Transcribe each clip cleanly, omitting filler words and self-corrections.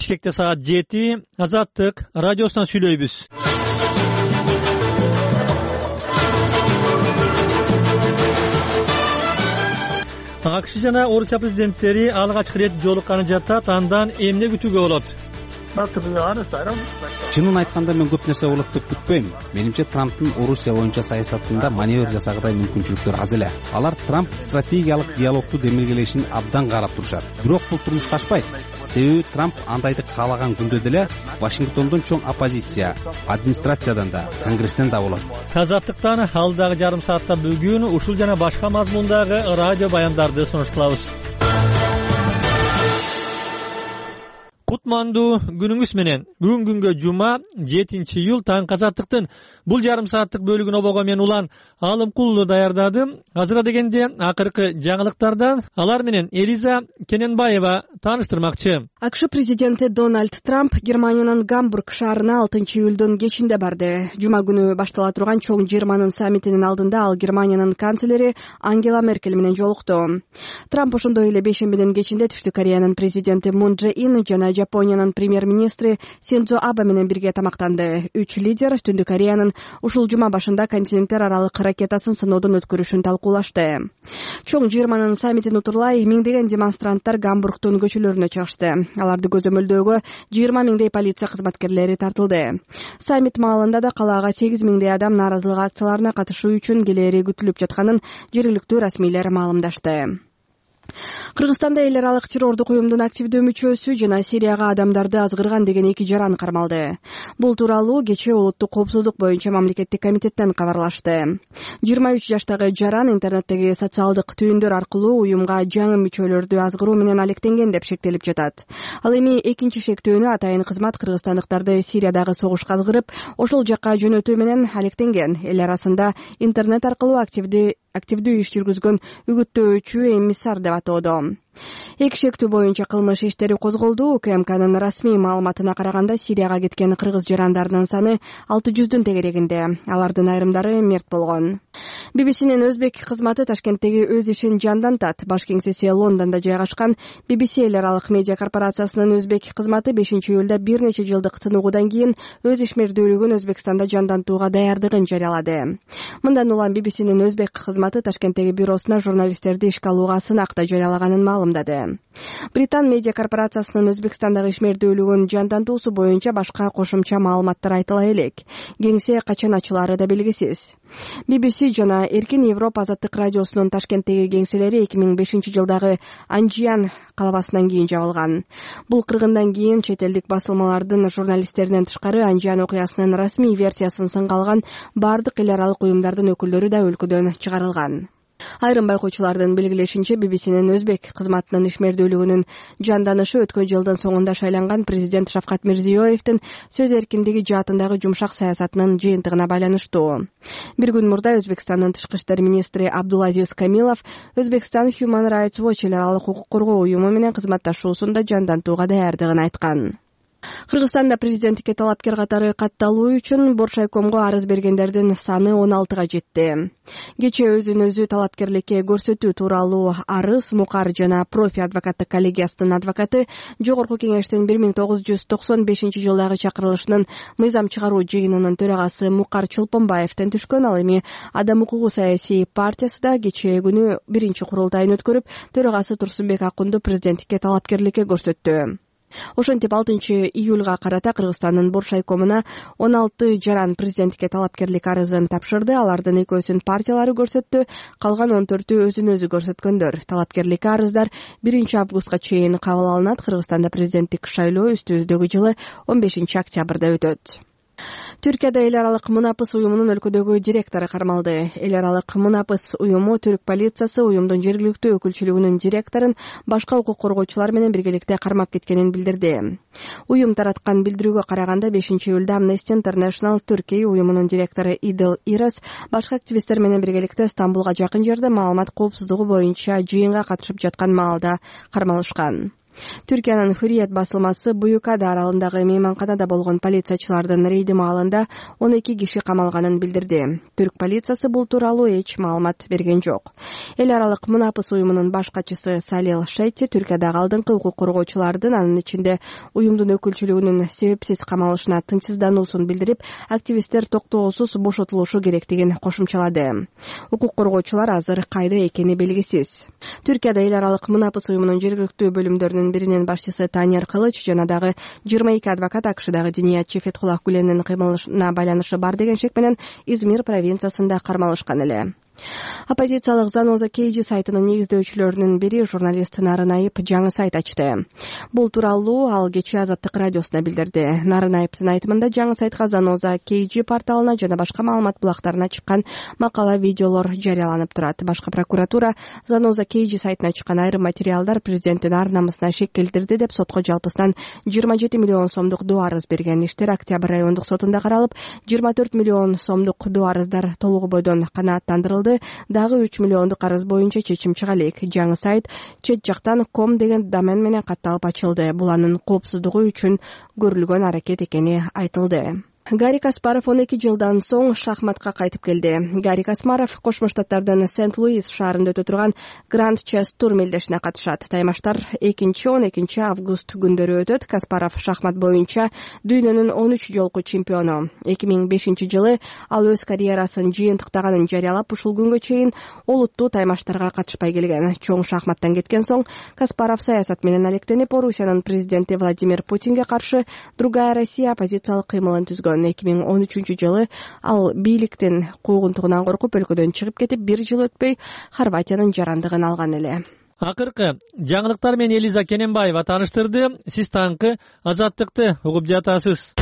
Бишкекте саат 7. Азаттык радиосунан сүйлөйбүз. АКШ жана Орусия президенттери алгачкы ирет жолукканы жатат. Андан эмне күтүүгө болот? Чынын айтканда мен көп нерсе болот деп күтпөйм. Менимче Трамптын Орусия боюнча саясатында маневр жасагыдай мүмкүнчүлүктөр аз эле. Алар Трамп стратегиялык диалогду демилгелешин абдан карап турушат. Бирок бул турмушка ашпайт. Себеби Трамп андайды каалаган күндө деле Вашингтондон чоң оппозиция, администрациядан да, Конгресстен да болот. Азаттыктан алдагы жарым саатта бүгүн ушул жана башка мазмундагы радио баяндарды сунуш кылабыз. Кутмандуу күнүңүз менен. Бүгүн күнгө жума 7-июль таңкы Азаттыктын бул жарым сааттык бөлүгүн обого мен улан Алымкулуу даярдадым. Азыра дегенде акыркы жаңылыктардан алар менен Элиза Кененбаева тааныштырмакчы. АКШ президенти Дональд Трамп Германиянын Гамбург шаарына 6-июлдун кечинде барды. Жума күнү баштала турган чоң жыйырманын саммитинин алдында ал Германиянын канцлери Ангела Меркель менен жолукту. Трамп ошондой эле бейшембинин кечинде Түштүк Кореянын президенти Мун Чже Ин жана Жапониянын премьер-министри Синдзо Абе менен бирге тамактанды. Үч лидер Түндүк Кореянын ушул жума башында континенттер аралык ракетасын сыноодон өткөрүшүн талкуулашты. Чоң жыйырманын саммитин утурлай миңдеген демонстранттар Гамбургдун көчөлөрүнө чыгышты. Аларды көзөмөлдөөгө 20 миңдей полиция кызматкерлери тартылды. Саммит маалында да калаага 8 миңдей адам нааразылык акцияларына катышуу үчүн келери күтүлүп жатканын жергиликтүү расмийлер маалымдашты. Кыргызстанда эл аралык террордук уюмдун активдүү мүчөсү жана Сирияга адамдарды азгырган деген 2 жаран кармалды. Бул тууралуу кечээ улуттук коопсуздук боюнча мамлекеттик комитеттен кабарлашты. 23 жаштагы жаран интернеттеги социалдык түйүндөр аркылуу уюмга жаңы мүчөлөрдү азгыруу менен алектенген деп шектелип жатат. Ал эми экинчи шектөөнү атайын кызмат кыргызстандыктарды Сириядагы согушка азгырып, ошол жакка жөнөтүү менен алектенген. Эл арасында интернет аркылуу активдүү иш жүргүзгөн үгүттөөчү эмиссар деп атоодо. Эки шектүү боюнча кылмыш иштери козголду. УКМКнын расмий маалыматына караганда Сирияга кеткен кыргыз жарандарынын саны 600дун тегерегинде. Алардын айрымдары мерт болгон. BBCнин өзбек кызматы Ташкенттеги өз ишин жандантат. Баш кеңсеси Лондондо жайгашкан BBC эл аралык медиа корпорациясынын өзбек кызматы 5-июлда бир нече жылдык тыныгуудан кийин өз ишмердүүлүгүн Өзбекстанда жандантууга даярдыгын жарыялады. Мындан улам BBCнин өзбек кызматы Ташкенттеги бюросуна журналисттерди ишке алууга сынакта жарыялаганын маалымдады. Британ медиа корпорациясынын Өзбекстандагы ишмердүүлүгүн жандантуусу боюнча башка кошумча маалыматтар айтыла элек. Кеңсе качан ачылары да белгисиз. BBC жана Эркин Европа азаттык радиосунун Ташкенттеги кеңселери 2005 жылдагы Анжиян калабасынан кийин жабылган. Бул кыргындан кийин чет элдик басылмалардын журналисттеринен тышкары Анжиян окуясынын расмий версиясын сынга алган бардык эл аралык уюмдардын өкүлдөрү да өлкөдөн чыгарылган. Айрым байкоочулардын белгилешинче BBCнин өзбек кызматынын ишмердүүлүгүнүн жанданышы өткөн жылдын соңунда шайланган президент Шавкат Мирзиёевдин сөз эркиндиги жаатындагы жумшак саясатынын жыйынтыгына байланыштуу. Бир күн мурда Өзбекстандын тышкы иштер министри Абдулазиз Камилов Өзбекстан Human Rights Watch эл аралык укук коргоо уюму менен кызматташуусунда жандантууга даярдыгын айткан. Кыргызстанда президенттикке талапкер катары катталуу үчүн Боршайкомго арыз бергендердин саны 16га жетти. Кечээ өзүн өзү талапкерликке көрсөтүү тууралуу арыз Мукар жана Профи адвокаттык коллегиясынын адвокаты Жогорку кеңештин 1995 жылдагы чакырылышынын мыйзам чыгаруу жыйынынын төрагасы Мукар Чолпонбаевден түшкөн. Ал эми Адам укугу саясий партиясы да кечээ күнү биринчи курултайын өткөрүп, төрагасы Турсунбек Акунду президенттикке талапкерликке көрсөттү. Ошентип 6-июлга карата Кыргызстандын Боршайкомуна 16 жаран президенттикке талапкерлик арызын тапшырды. Алардын 2-өсүн партиялары көрсөттү, калган 14-ü өзүн өзү көрсөткөндөр. Талапкерлик арыздар 1 августка чейин кабыл алынат. Кыргызстанда президенттик шайлоо үстүбүздөгү жылы 15 октябрда өтөт. Түркияда эл аралык Мунапыс уюмунун өлкөдөгү директору кармалды. Эл аралык Мунапыс уюму түрк полициясы уюмдун жергиликтүү өкүлчүлүгүнүн директорун башка укук коргоочулар менен биргеликте кармап кеткенин билдирди. Уюм тараткан билдирүүгө караганда 5-июлда Amnesty International Түркия уюмунун директору Идил Ирас башка активисттер менен биргеликте Стамбулга жакын жерде маалымат коопсуздугу боюнча жыйынга катышып жаткан маалда кармалышкан. Түркиянын Hürriyet басылмасы Буюкада аралындагы мейманканада болгон полициячылардын рейди маалында 12 киши камалганын билдирди. Түрк полициясы бул тууралуу эч маалымат берген жок. Эл аралык мунапыс уюмунун баш катчысы Салил Шетти Түркиядагы алдыңкы укук коргоочулардын, анын ичинде уюмдун өкүлчүлүгүнүн себепсиз камалышына тынчсыздануусун билдирип, активисттер токтоосуз бошотулушу керектигин кошумчалады. Укук коргоочулар азыр кайда экени белгисиз. Түркияда эл аралык мунапыс уюмунун жергиликтүү бөлүмдөрүнүн биринин башчысы Танер Кылыч жана дагы 22 адвокат AKШдагы Диниятчы Фетхуллах Гүленин кыймылына байланышы бар деген шек менен Измир провинциясында кармалышкан эле. Оппозициялык Заноза KG сайтынын негиздөөчүлөрүнүн бири журналист Нарын Айып жаңы сайт ачты. Бул тууралуу ал кечээ Азаттык радиосуна билдирди. Нарын Айыптын айтымында жаңы сайтка Заноза KG порталына жана башка маалымат булактарына чыккан макала, видеолор жарыяланып турат. Башкы прокуратура Заноза KG сайтына чыккан айрым материалдар президенттин ар намысына шек келтирди деп сотко жалпысынан 27 миллион сомдук доо арыз берген. Иштер Октябрь райондук сотунда каралып, 24 миллион сомдук доо арыздар толугу бойдон канааттандырылды. Дагы 3 миллиондук арыз боюнча чечим чыга элек. Жаңы сайт чет жактан .com деген домен менен катталып ачылды. Бул анын коопсуздугу үчүн көрүлгөн аракет экени айтылды. Гарри Каспаров 12 жылдан соң шахматка кайтып келди. Гарри Каспаров Кошмо Штаттардын Сент-Луис шаарында өтө турган Гранд Чес тур мелдешине катышат. Таймаштар 2-12 август күндөрү өтөт. Каспаров шахмат боюнча дүйнөнүн 13 жолку чемпиону. 2005 жылы ал өз карьерасын жыйынтыктаганын жарыялап, ушул күнгө чейин олуттуу таймаштарга катышпай келген. Чоң шахматтан кеткен соң Каспаров саясат менен алектенип, Орусиянын президенти Владимир Путинге каршы Другая Россия оппозициялык кыймылын түзгөн. 2013 жылы ал бийликтин куугунтугунан коркуп өлкөдөн чыгып кетип, бир жыл өтпөй Хорватиянын жарандыгын алган эле. Акыркы жаңылыктар менен Элиза Кененбаева тааныштырды. Сиз таңкы Азаттыкты угуп жатасыз.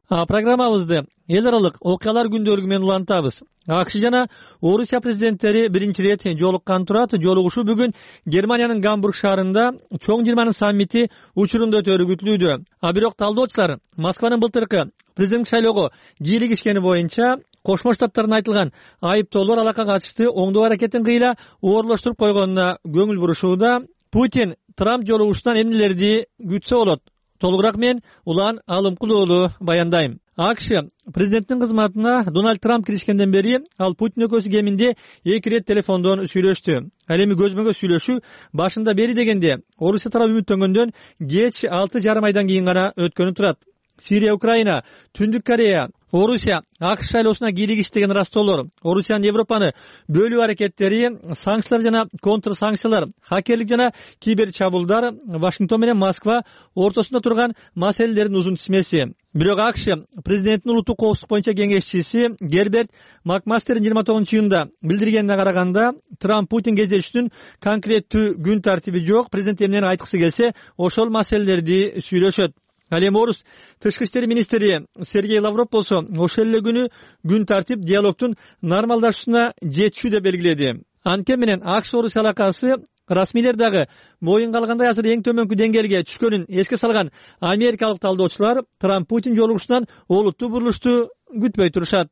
Программабызды эл аралык окуялар күндөлүгү менен улантабыз. AKШ жана Орусия президенттери биринчи ирет жолуккан турат. Жолугушуу бүгүн Германиянын Гамбург шаарында чоң 20 саммити учурунда өтөрү күтүлүүдө. Бирок талдоочулар Москванын былтыркы президенттик шайлоого кийлигишкени боюнча Кошмо Штаттардын айтылган айыптоолор алакка катышты оңдоо аракетин кыйла оорлоштуруп койгонуна көңүл бурушууда. Путин Трамп жолугушуудан эмнелерди күтсө болот? Толугураак мен Улан Алымкулуулу баяндайм. AKШ президенттин кызматына Дональд Трамп киришкенден бери ал Путин экөөсү кеминде 2 рет телефондон сүйлөштү. Ал эми көзмө көз сүйлөшүү башында бери дегенде Орусия тарабы үмүттөнгөндөн кеч 6,5 айдан кийин гана өткөнү турат. Сирия, Украина, Түндүк Корея, Орусия AKШ шайлоосуна кийлигиш деген растоолор, Орусиянын Европаны бөлүү аракеттери, санкциялар жана контрсанкциялар, хакерлик жана кибер чабуулдар, Вашингтон менен Москва ортосунда турган маселелердин узун тизмеси. Бирок AKШ президенттин улуттук коопсуздук боюнча кеңешчиси Герберт Макмастердин 29-июнда билдиргенине караганда, Трамп Путин кездешүүнүн конкреттүү күн тартиби жок. Президент эмнени айткысы келсе, ошол маселелерди сүйлөшөт. Ал эми орус тышкы иштер министри Сергей Лавров болсо ошол эле күнү күн тартип диалогдун нормалдашуусуна жетишүү деп белгиледи. Анткени менен AKШ Орусия алакасы расмийлер дагы моюнга алгандай азыр эң төмөнкү деңгээлге түшкөнүн эске салган америкалык талдоочулар Трамп Путин жолугушуудан олуттуу бурулушту күтпөй турушат.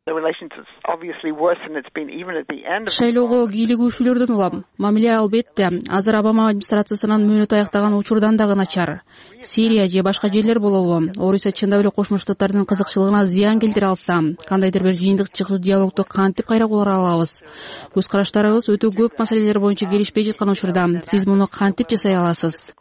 Шайлоого кийлигүүчүлөрдөн улам. Мамиле албетте азыр Обама администрациясынын мөөнөтү аяктаган учурдан дагы начар. Сирия же башка жерлер болобу? Орусия чындап эле Кошмо Штаттардын кызыкчылыгына зыян келтире алса, кандайдыр бир жыйынтык чыгуу диалогду кантип кайра кура алабыз? Көз караштарыбыз өтө көп маселелер боюнча келишпей жаткан учурда сиз муну кантип жасай аласыз?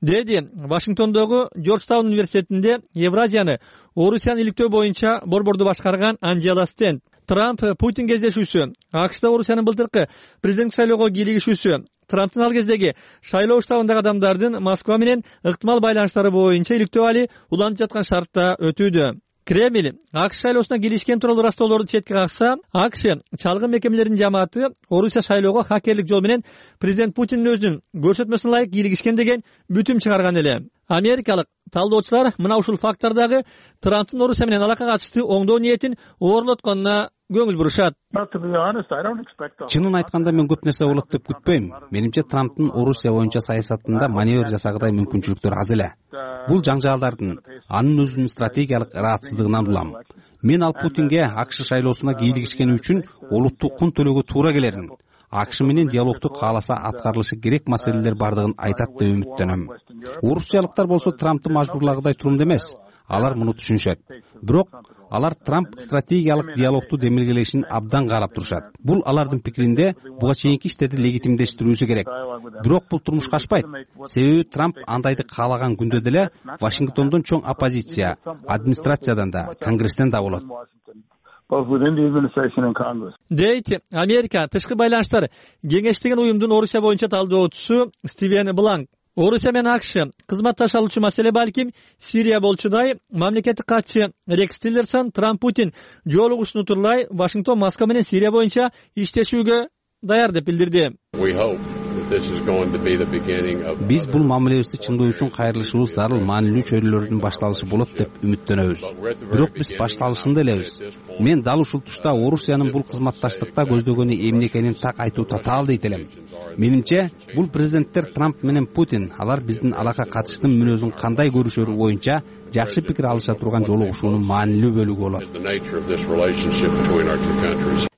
Деди Вашингтондогу Джорджтаун университетинде Евразияны Орусияны иликтөө боюнча борборду башкарган Анжела Стенд. Трамп Путин кездешүүсү, AKШда Орусиянын былтыркы президенттик шайлоого кийлигишүүсү, Трамптын ал кездеги шайлоо штабындагы адамдардын Москва менен ыктымал байланыштары боюнча иликтөө али уланып жаткан шартта өтүүдө. Кремль AKШ шайлоосуна кийлигишкен тууралуу растоолорду четке какса, AKШ чалгын мекемелеринин жамааты Орусия шайлоого хакерлик жол менен президент Путиндин өзүнүн көрсөтмөсүнө ылайык кийлигишкен деген бүтүм чыгарган эле. Америкалык талдоочулар мына ушул фактордагы Трамптын Орусия менен алакка катыштуу оңдоо ниетин оорлотконуна көңүл бурушат. Чынын айтканда мен көп нерсе болот деп күтпөйм. Менимче Трамптын Орусия боюнча саясатында маневр жасагыдай мүмкүнчүлүктөр аз эле. Бул жаңжаалдардын анын өзүнүн стратегиялык ыраатсыздыгынан улам. Мен ал Путинге AKШ шайлоосуна кийлигишкени үчүн олуттуу кун төлөөгө туура келерин, АКШ менен диалогду кааласа аткарылышы керек маселелер бардыгын айтат деп үмүттөнөм. Орусиялыктар болсо Трампты мажбурлагыдай турумда эмес. Алар муну түшүнүшөт. Бирок алар Трамп стратегиялык диалогду демилгелешин абдан каалап турушат. Бул алардын пикиринде буга чейинки иштерди легитимдештирүүсү керек. Бирок бул турмушка ашпайт. Себеби Трамп андайды каалаган күндө деле Вашингтондон чоң оппозиция, администрациядан да, Конгресстен да болот. Дейт Америка тышкы байланыштар кеңештеген уюмдун Орусия боюнча талдоочусу Стивен Бланк. Орусия менен АКШ кызматташа алуучу маселе балким Сирия болчудай. Мамлекеттик катчы Рекс Тиллерсон Трамп Путин жолугушууну турлай Вашингтон Москва менен Сирия боюнча иштешүүгө даяр деп билдирди. Биз бул мамилебизди чыңдоо үчүн кайрылышыбыз зарыл маанилүү чөйрөлөрдүн башталышы болот деп үмүттөнөбүз. Бирок биз башталышында элебиз. Мен дал ушул тушта Орусиянын бул кызматташтыкта көздөгөнү эмне экенин так айтуу татаал дейт элем. Менимче, бул президенттер Трамп менен Путин алар биздин алакка катыштын мүнөзүн кандай көрүшөрү боюнча жакшы пикир алыша турган жолугушуунун маанилүү бөлүгү болот.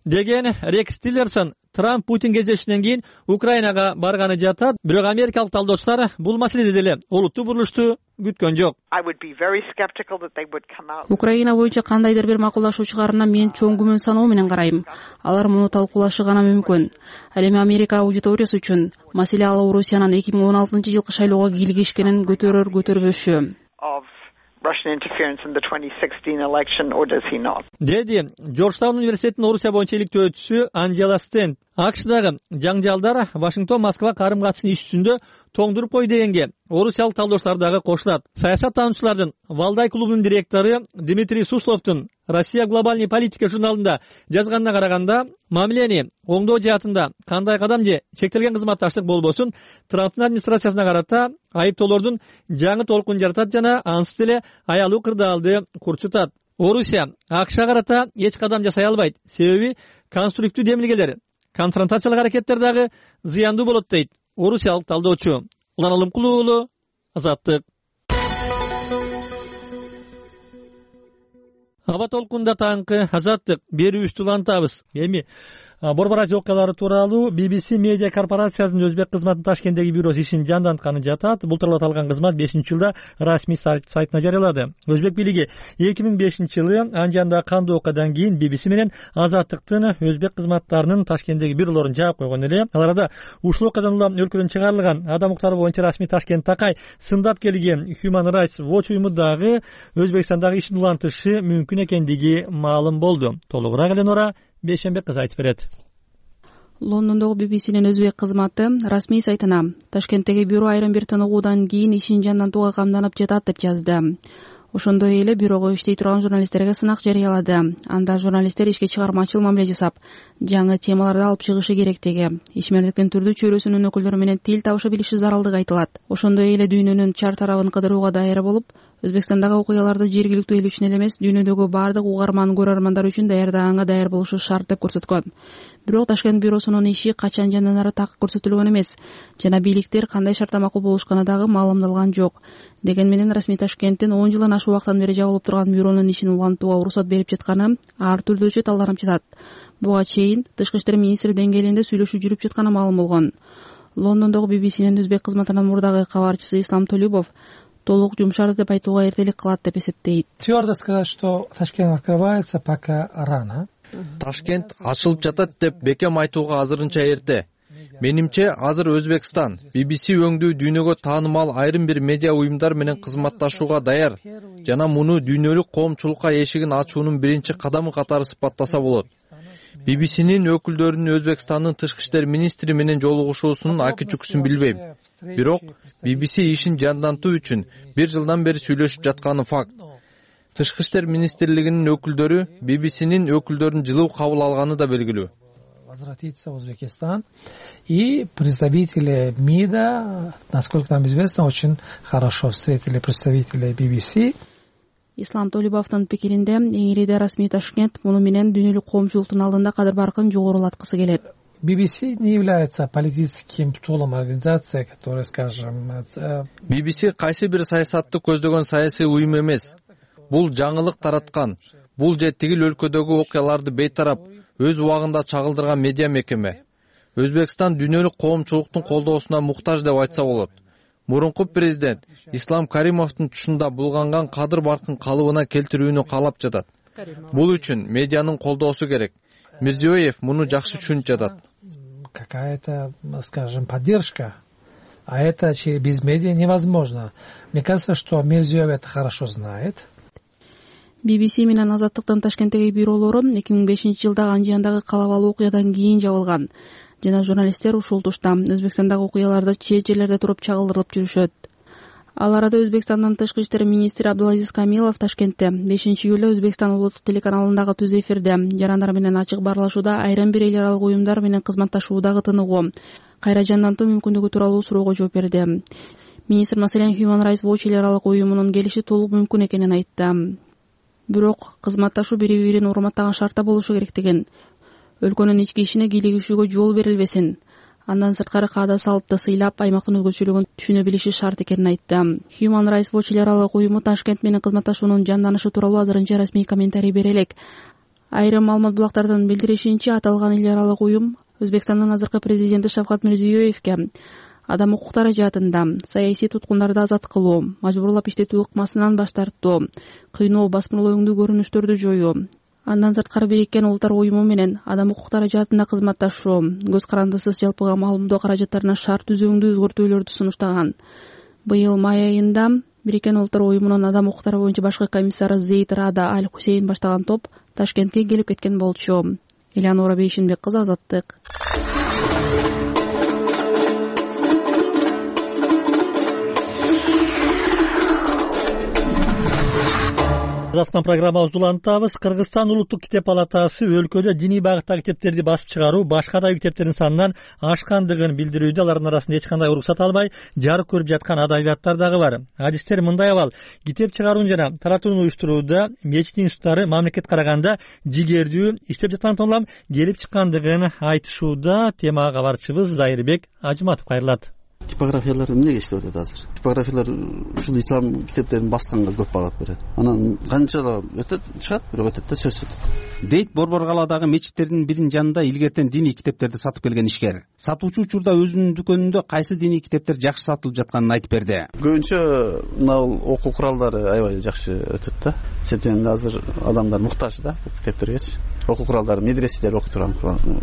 Деген Рекс Тиллерсон Трамп Путин кездешүүнөн кийин Украинага барганы жатат. Бирок америкалык талдоочулар бул маселеде деле олуттуу бурулушту күткөн жок. Украина боюнча кандайдыр бир макулдашуу чыгарына мен чоң күмөн саноо менен карайм. Алар муну талкуулашы гана мүмкүн. Ал эми Америка аудиториясы үчүн маселе ал Орусиянын 2016-жылкы шайлоого кийлигишкенин көтөрөр-көтөрбөшү. Деди Жоржтаун университетинин Орусия боюнча иликтөөчүсү Анжела Стенд. АКШдагы жаңжалдар Вашингтон-Москва карым-катышын иш жүзүндө тоңдуруп кой дегенге орусиялык талдоочулар дагы кошулат. Саясаттануучулардын Валдай клубунун директору Дмитрий Сусловдун Россия глобальный политика журналында жазганына караганда, мамилени оңдоо жаатында кандай кадам же чектелген кызматташтык болбосун Трамптын администрациясына карата айыптоолордун жаңы толкун жаратат жана ансыз деле аялуу кырдаалды курчутат. Орусия АКШга карата эч кадам жасай албайт. Себеби конструктивдүү демилгелер, конфронтациялык аракеттер дагы зыяндуу болот дейт орусиялык талдоочу. Улан Алымкулуу уулу, Азаттык. Аба толкунда таңкы Азаттык берүүбүздү улантабыз. Эми Борбор окуялары тууралуу BBC медиа корпорациясынын өзбек кызматынын Ташкенттеги бюросу ишин жандантканы жатат. Бул тууралуу аталган кызмат 5-жылда расмий сайтына жарыялады. Өзбек бийлиги 2005-жылы Анжанда кандуу окуядан кийин BBC менен Азаттыктын өзбек кызматтарынын Ташкенттеги бюролорун жаап койгон эле. Аларда ушул окуядан улам өлкөдөн чыгарылган адам укуктары боюнча расмий Ташкент такай сындап келген Human Rights Watch уюму дагы Өзбекстандагы ишин улантышы мүмкүн экендиги маалым болду. Толугураак Эленора Бейшенбек кызы айтып берет. Лондондогу BBC'нин өзбек кызматы расмий сайтына Ташкенттеги бюро айрым бир тыныгуудан кийин ишин жандантууга камданып жатат деп жазды. Ошондой эле бюрого иштей турган журналисттерге сынак жарыялады. Анда журналисттер ишке чыгармачыл мамиле жасап, жаңы темаларды алып чыгышы керектиги, ишмердиктин түрдүү чөйрөсүнүн өкүлдөрү менен тил табыша билиши зарылдыгы айтылат. Ошондой эле дүйнөнүн чар тарабын кыдырууга даяр болуп, Өзбекстандагы окуяларды жергиликтүү эл үчүн эле эмес, дүйнөдөгү баардык угарман көрөрмандар үчүн даярдаганга даяр болушу шарт деп көрсөткөн. Бирок Ташкент бюросунун иши качан жанданары так көрсөтүлгөн эмес жана бийликтер кандай шартта макул болушканы дагы маалымдалган жок. Деген менен расмий Ташкенттин 10 жылдан ашык убактан бери жабылып турган бюронун ишин улантууга уруксат берип жатканы ар түрдүүчө талданып жатат. Буга чейин Тышкы иштер министри деңгээлинде сүйлөшүү жүрүп жатканы маалым болгон. Лондондогу BBC'нин өзбек кызматынын мурдагы кабарчысы Ислам Толюбов толук жумшарды деп айтууга эртелик кылат деп эсептейт. Твёрдо сказать, что Ташкент открывается, пока рано. Ташкент ачылып жатат деп бекем айтууга азырынча эрте. Менимче азыр Өзбекстан BBC өңдүү дүйнөгө таанымал айрым бир медиа уюмдар менен кызматташууга даяр жана муну дүйнөлүк коомчулукка эшигин ачуунун биринчи кадамы катары сыпаттаса болот. BBC'нин өкүлдөрүнүн Өзбекстандын тышкы иштер министри менен жолугушуусунун аки чүкүсүн билбейм. Бирок BBC ишин жандантуу үчүн 1 жылдан бери сүйлөшүп жатканы факт. Тышкы иштер министрлигинин өкүлдөрү BBC'нин өкүлдөрүн жылуу кабыл алганы да белгилүү. Возвратиться в Узбекистан. И представители МИДа, насколько нам известно, очень хорошо встретили представителей BBC. Ислам Толюбовдун пикиринде эңириде расмий Ташкент муну менен дүйнөлүк коомчулуктун алдында кадыр баркын жогорулаткысы келет. BBC не является политическим тулом организации, которая, скажем... BBC кайсы бир саясатты көздөгөн саясий уюм эмес. Бул жаңылык тараткан, бул же тигил өлкөдөгү окуяларды бейтарап өз убагында чагылдырган медиа мекеме. Өзбекстан дүйнөлүк коомчулуктун колдоосуна муктаж деп айтса болот. Мурунку президент Ислам Каримовдун тушунда булганган кадыр баркын калыбына келтирүүнү каалап жатат. Бул үчүн медианын колдоосу керек. Мирзиёев муну жакшы түшүнүп жатат. Какая-то, скажем, поддержка. А это без медиа невозможно. Мне кажется, что Мирзиёев это хорошо знает. BBC менен Азаттыктын Ташкенттеги бюролору 2005-жылдагы Анжияндагы калабалуу окуядан кийин жабылган. Жана журналисттер ушул тушта Өзбекстандагы окуяларды чет жерлерде туруп чагылдырып жүрүшөт. Ал арада Өзбекстандын тышкы иштер министри Абдулазиз Камилов Ташкентте 5-июлда Өзбекстан улуттук телеканалындагы түз эфирде жарандар менен ачык баарлашууда айрым бир эл аралык уюмдар менен кызматташуудагы тыныгуу, кайра жандантуу мүмкүндүгү тууралуу суроого жооп берди. Министр маселен Human Rights Watch эл аралык уюмунун келиши толук мүмкүн экенин айтты. Бирок кызматташуу бири-бирин урматтаган шартта болушу керектигин, өлкөнүн ички ишине кийлигишүүгө жол берилбесин, андан сырткары каада салтты сыйлап, аймактын өзгөчөлүгүн түшүнө билиши шарт экенин айтты. Human Rights Watch эл аралык уюму Ташкент менен кызматташуунун жанданышы тууралуу азырынча расмий комментарий бере элек. Айрым маалымат булактардын билдиришинче, аталган эл аралык уюм Өзбекстандын азыркы президенти Шавкат Мирзиёевке адам укуктары жаатында саясий туткундарды азат кылуу, мажбурлап иштетүү ыкмасынан баш тартуу, кыйноо, басмырлоо өңдүү көрүнүштөрдү жоюу, андан сырткары Бириккен Улуттар уюму менен адам укуктары жаатында кызматташуу, көз карандысыз жалпыга маалымдоо каражаттарына шарт түзүүңдүү өзгөртүүлөрдү сунуштаган. Быйыл май айында Бириккен Улуттар уюмунун адам укуктары боюнча башкы комиссары Зейд Рада Аль Хусейн баштаган топ Ташкентке келип кеткен болчу. Элеонора Бейшинбек кызы, Азаттык. Казакстан программабызды улантабыз. Кыргызстан улуттук китеп палатасы өлкөдө диний багыттагы китептерди басып чыгаруу башка да китептердин санынан ашкандыгын билдирүүдө. Алардын арасында эч кандай уруксат албай жарык көрүп жаткан адабияттар дагы бар. Адистер мындай абал: китеп чыгарууну жана таратууну уюштурууда мечит институттары мамлекетке караганда жигердүү иштеп жаткан тоолам келип чыккандыгын айтышууда. Темага кабарчыбыз Зайырбек Ажыматов кайрылат. Типографиялар эмнеге иштеп атат азыр? Типографиялар ушул ислам китептерин басканга көп багат берет. Анан канчала өтөт, чыгат, бирок өтөт да сөзсүз. Дейт Борборкаладагы мечиттердин биринин жанында илгертен диний китептерди сатып келген ишкер. Сатуучу учурда өзүнүн дүкөнүндө кайсы диний китептер жакшы сатылып жатканын айтып берди. Көбүнчө мына окуу куралдары аябай жакшы өтөт да. Себеби азыр адамдар муктаж да китептерге. Окуу куралдары, медреселер окуй турган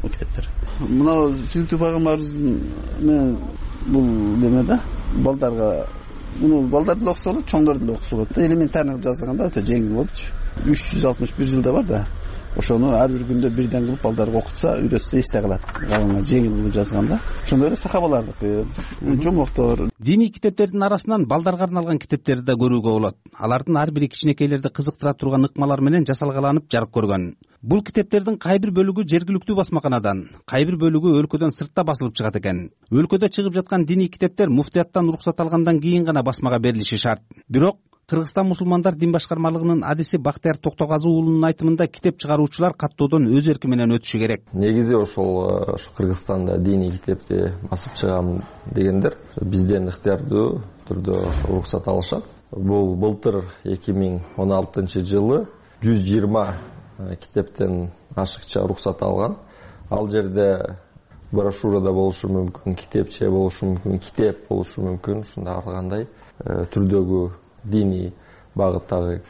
китептер. Мына Сүйлүктүү пайгамбарыбыз бул неме да, балдарга муну балдар деле окуса болот, чоңдор деле окуса болот да. Элементарный кылып жазганда өтө жеңил болчу. 361 жылда бар да. Ошону ар бир күндө бирден кылып балдарга окутса, үйрөтсө эсте калат. Жеңил кылып жазганда. Ошондой эле сахабалардыкы, жомоктор. Диний китептердин арасынан балдарга арналган китептерди да көрүүгө болот. Алардын ар бири кичинекейлерди кызыктыра турган ыкмалар менен жасалгаланып жарык көргөн. Бул китептердин кай бир бөлүгү жергиликтүү басмаканадан, кай бир бөлүгү өлкөдөн сыртта басылып чыгат экен. Өлкөдө чыгып жаткан диний китептер муфтияттан уруксат алгандан кийин гана басмага берилиши шарт. Бирок Кыргызстан мусулмандар дин башкармалыгынын адиси Бактыяр Токтогазы уулунун айтымында китеп чыгаруучулар каттоодон өз эрки менен өтүшү керек. Негизи ошол Кыргызстанда диний китепти басып чыгам дегендер бизден ыктыярдуу түрдө уруксат алышат. Бул былтыр 2016-жылы 120 китептен ашыкча уруксат алган. Ал жерде брошюрада болушу мүмкүн, китепче болушу мүмкүн, китеп болушу мүмкүн, ушундай ар кандай түрдөгү диний багыттагы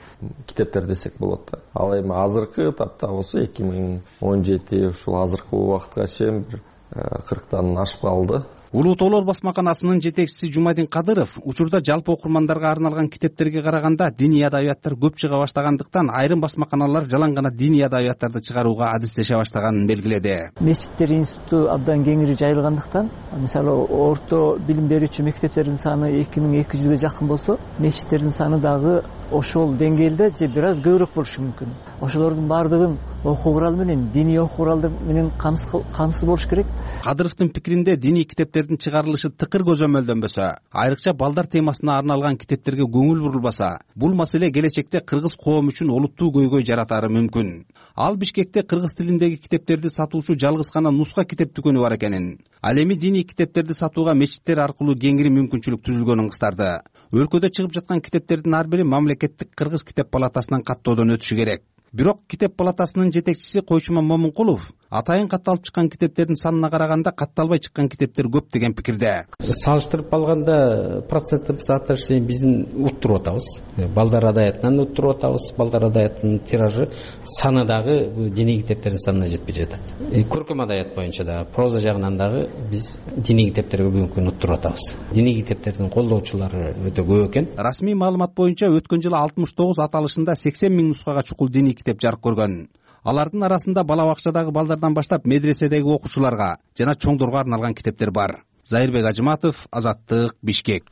китептер десек болот да. Ал эми азыркы тапта болсо 2017 ушул азыркы убакытка чейин 40тан ашып калды. Улуу тоолор басмаканасынын жетекчиси Жумадин Кадыров учурда жалпы окурмандарга арналган китептерге караганда диний адабияттар көп чыга баштагандыктан айрым басмаканалар жалаң гана диний адабияттарды чыгарууга адистеше баштаганын белгиледи. Мечиттер институту абдан кеңири жайылгандыктан, мисалы орто билим берүүчү мектептердин саны 2200ге жакын болсо, мечиттердин саны дагы ошол деңгээлде же бир аз көбүрөөк болушу мүмкүн. Ошолордун баардыгын окуу куралы менен, диний окуу куралдар менен камсыз болуш керек. Кадыровдун пикиринде диний китептердин чыгарылышы тыкыр көзөмөлдөнбөсө, айрыкча балдар темасына арналган китептерге көңүл бурулбаса, бул маселе келечекте кыргыз коому үчүн олуттуу көйгөй жаратары мүмкүн. Ал Бишкекте кыргыз тилиндеги китептерди сатуучу жалгыз гана нуска китеп дүкөнү бар экенин, ал эми диний китептерди сатууга мечиттер аркылуу кеңири мүмкүнчүлүк түзүлгөнүн кыстарды. Өлкөдө чыгып жаткан китептердин ар бири мамлекеттик кыргыз китеп палатасынан каттоодон өтүшү керек. Бирок китеп палатасынын жетекчиси Койчума Момункулов атайын катталып чыккан китептердин санына караганда катталбай чыккан китептер көп деген пикирде. Салыштырып алганда проценттик соотношение биздин уттуруп атабыз. Балдар адаятынан уттуруп атабыз. Балдар адаятынын тиражы саны дагы диний китептердин санына жетпей жатат. Көркөм адаят боюнча да, проза жагынан дагы биз диний китептерге бүгүнкү күнү уттуруп атабыз. Диний китептердин колдоочулары өтө көп экен. Расмий маалымат боюнча өткөн жылы 69 аталышында 80 000 нускага чукул диний китеп жарык көргөн. Алардын арасында бала бакчадагы балдардан баштап медреседеги окуучуларга жана чоңдорго арналган китептер бар. Зайырбек Ажыматов, Азаттык, Бишкек.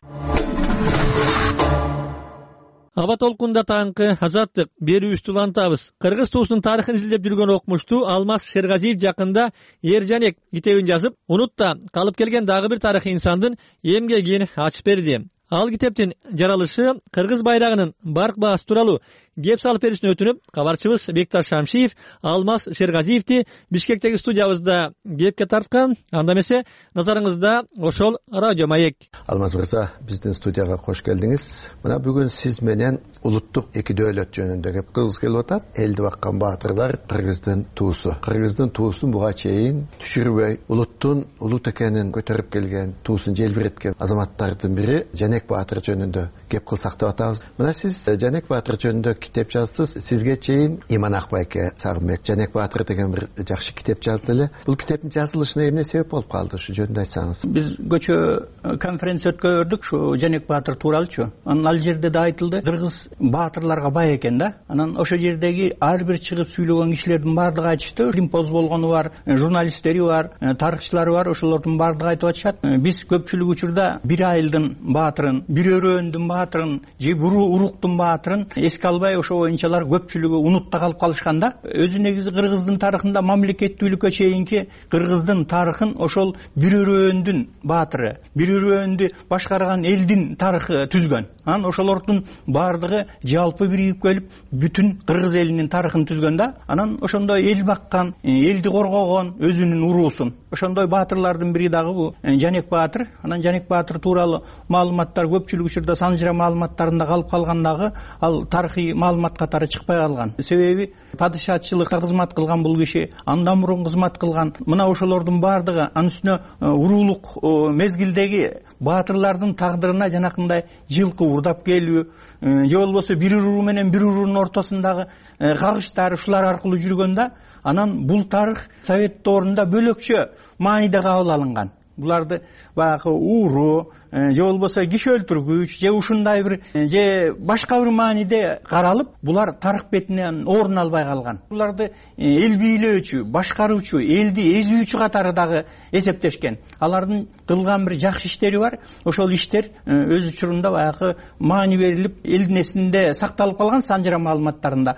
Аба толкунда таңкы Азаттык берүүбүздү улантабыз. Кыргыз туусунун тарыхын изилдеп жүргөн окумуштуу Алмаз Шергазиев жакында Ер Жанек китебин жазып, унутта калып келген дагы бир тарыхый инсандын эмгегин ачып берди. Ал китептин жаралышы кыргыз байрагынын барк баасы тууралуу кеп салып беришин өтүнүп, кабарчыбыз Бекташ Шамшиев Алмаз Шергазиевди Бишкектеги студиябызда кепке тарткан. Анда эмесе назарыңызда ошол радио маек. Алмаз мырза, биздин студияга кош келдиңиз. Мына бүгүн сиз менен улуттук эки дөөлөт жөнүндө кеп кылгыбыз келип атат. Элди баккан баатырлар кыргыздын туусу. Кыргыздын туусун буга чейин түшүрбөй, улуттун улут экенин көтөрүп келген, туусун желбиреткен азаматтардын бири Жанек Баатыр жөнүндө кеп кылсак деп атабыз. Мына сиз Жанек Баатыр жөнүндө китеп жаздыңыз. Сизге чейин Иман Акбайке Сагынбек Жанек Баатыр деген бир жакшы китеп жазды эле. Бул китептин жазылышына эмне себеп болуп калды? Ушу жөнүндө айтсаңыз. Биз көчө конференция өткөрдүк ушу Жанек Баатыр тууралуучу. Анан ал жерде да айтылды, кыргыз баатырларга бай экен да. Анан ошол жердеги ар бир чыгып сүйлөгөн кишилердин баардыгы айтышты. Римпоз болгону бар, журналисттери бар, тарыхчылары бар, ошолордун баардыгы айтып атышат. Биз көпчүлүк учурда бир айылдын баатырын, бир өрөөндүн баатырын же бир уруктун баатырын эске албай, ошо боюнчалар көпчүлүгү унутта калып калышканда, өзү негизи кыргыздын тарыхында мамлекеттүүлүккө чейинки кыргыздын тарыхын ошол бир өрөөндүн баатыры, бир өрөөндү башкарган элдин тарыхы түзгөн. Анан ошолордун баардыгы жалпы биригип келип, бүтүн кыргыз элинин тарыхын түзгөн да. Анан ошондой эл баккан, элди коргогон өзүнүн уруусун. Ошондой баатырлардын бири дагы бул Жанек Баатыр. Анан Жанек Баатыр тууралуу маалыматтар көпчүлүк учурда санжыра маалыматтарында калып калган дагы, ал тарыхый маалымат катары чыкпай калган. Себеби падышачылыкка кызмат кылган бул киши, андан мурун кызмат кылган. Мына ошолордун баардыгы анын үстүнө уруулук мезгилдеги баатырлардын тагдырына жанакындай жылкы урдап келүү, же болбосо бир уруу менен бир уруунун ортосундагы кагыштар ушулар аркылуу жүргөндө, анан бул тарых совет доорунда бөлөкчө мааниде кабыл алынган. Буларды баягы ууру же болбосо киши өлтүргүч же ушундай бир же башка бир мааниде каралып, булар тарых бетинен орун албай калган. Буларды эл бийлөөчү, башкаруучу, элди эзүүчү катары дагы эсептешкен. Алардын кылган бир жакшы иштери бар. Ошол иштер өз учурунда баягы маани берилип, элдин эсинде сакталып калган санжыра маалыматтарында.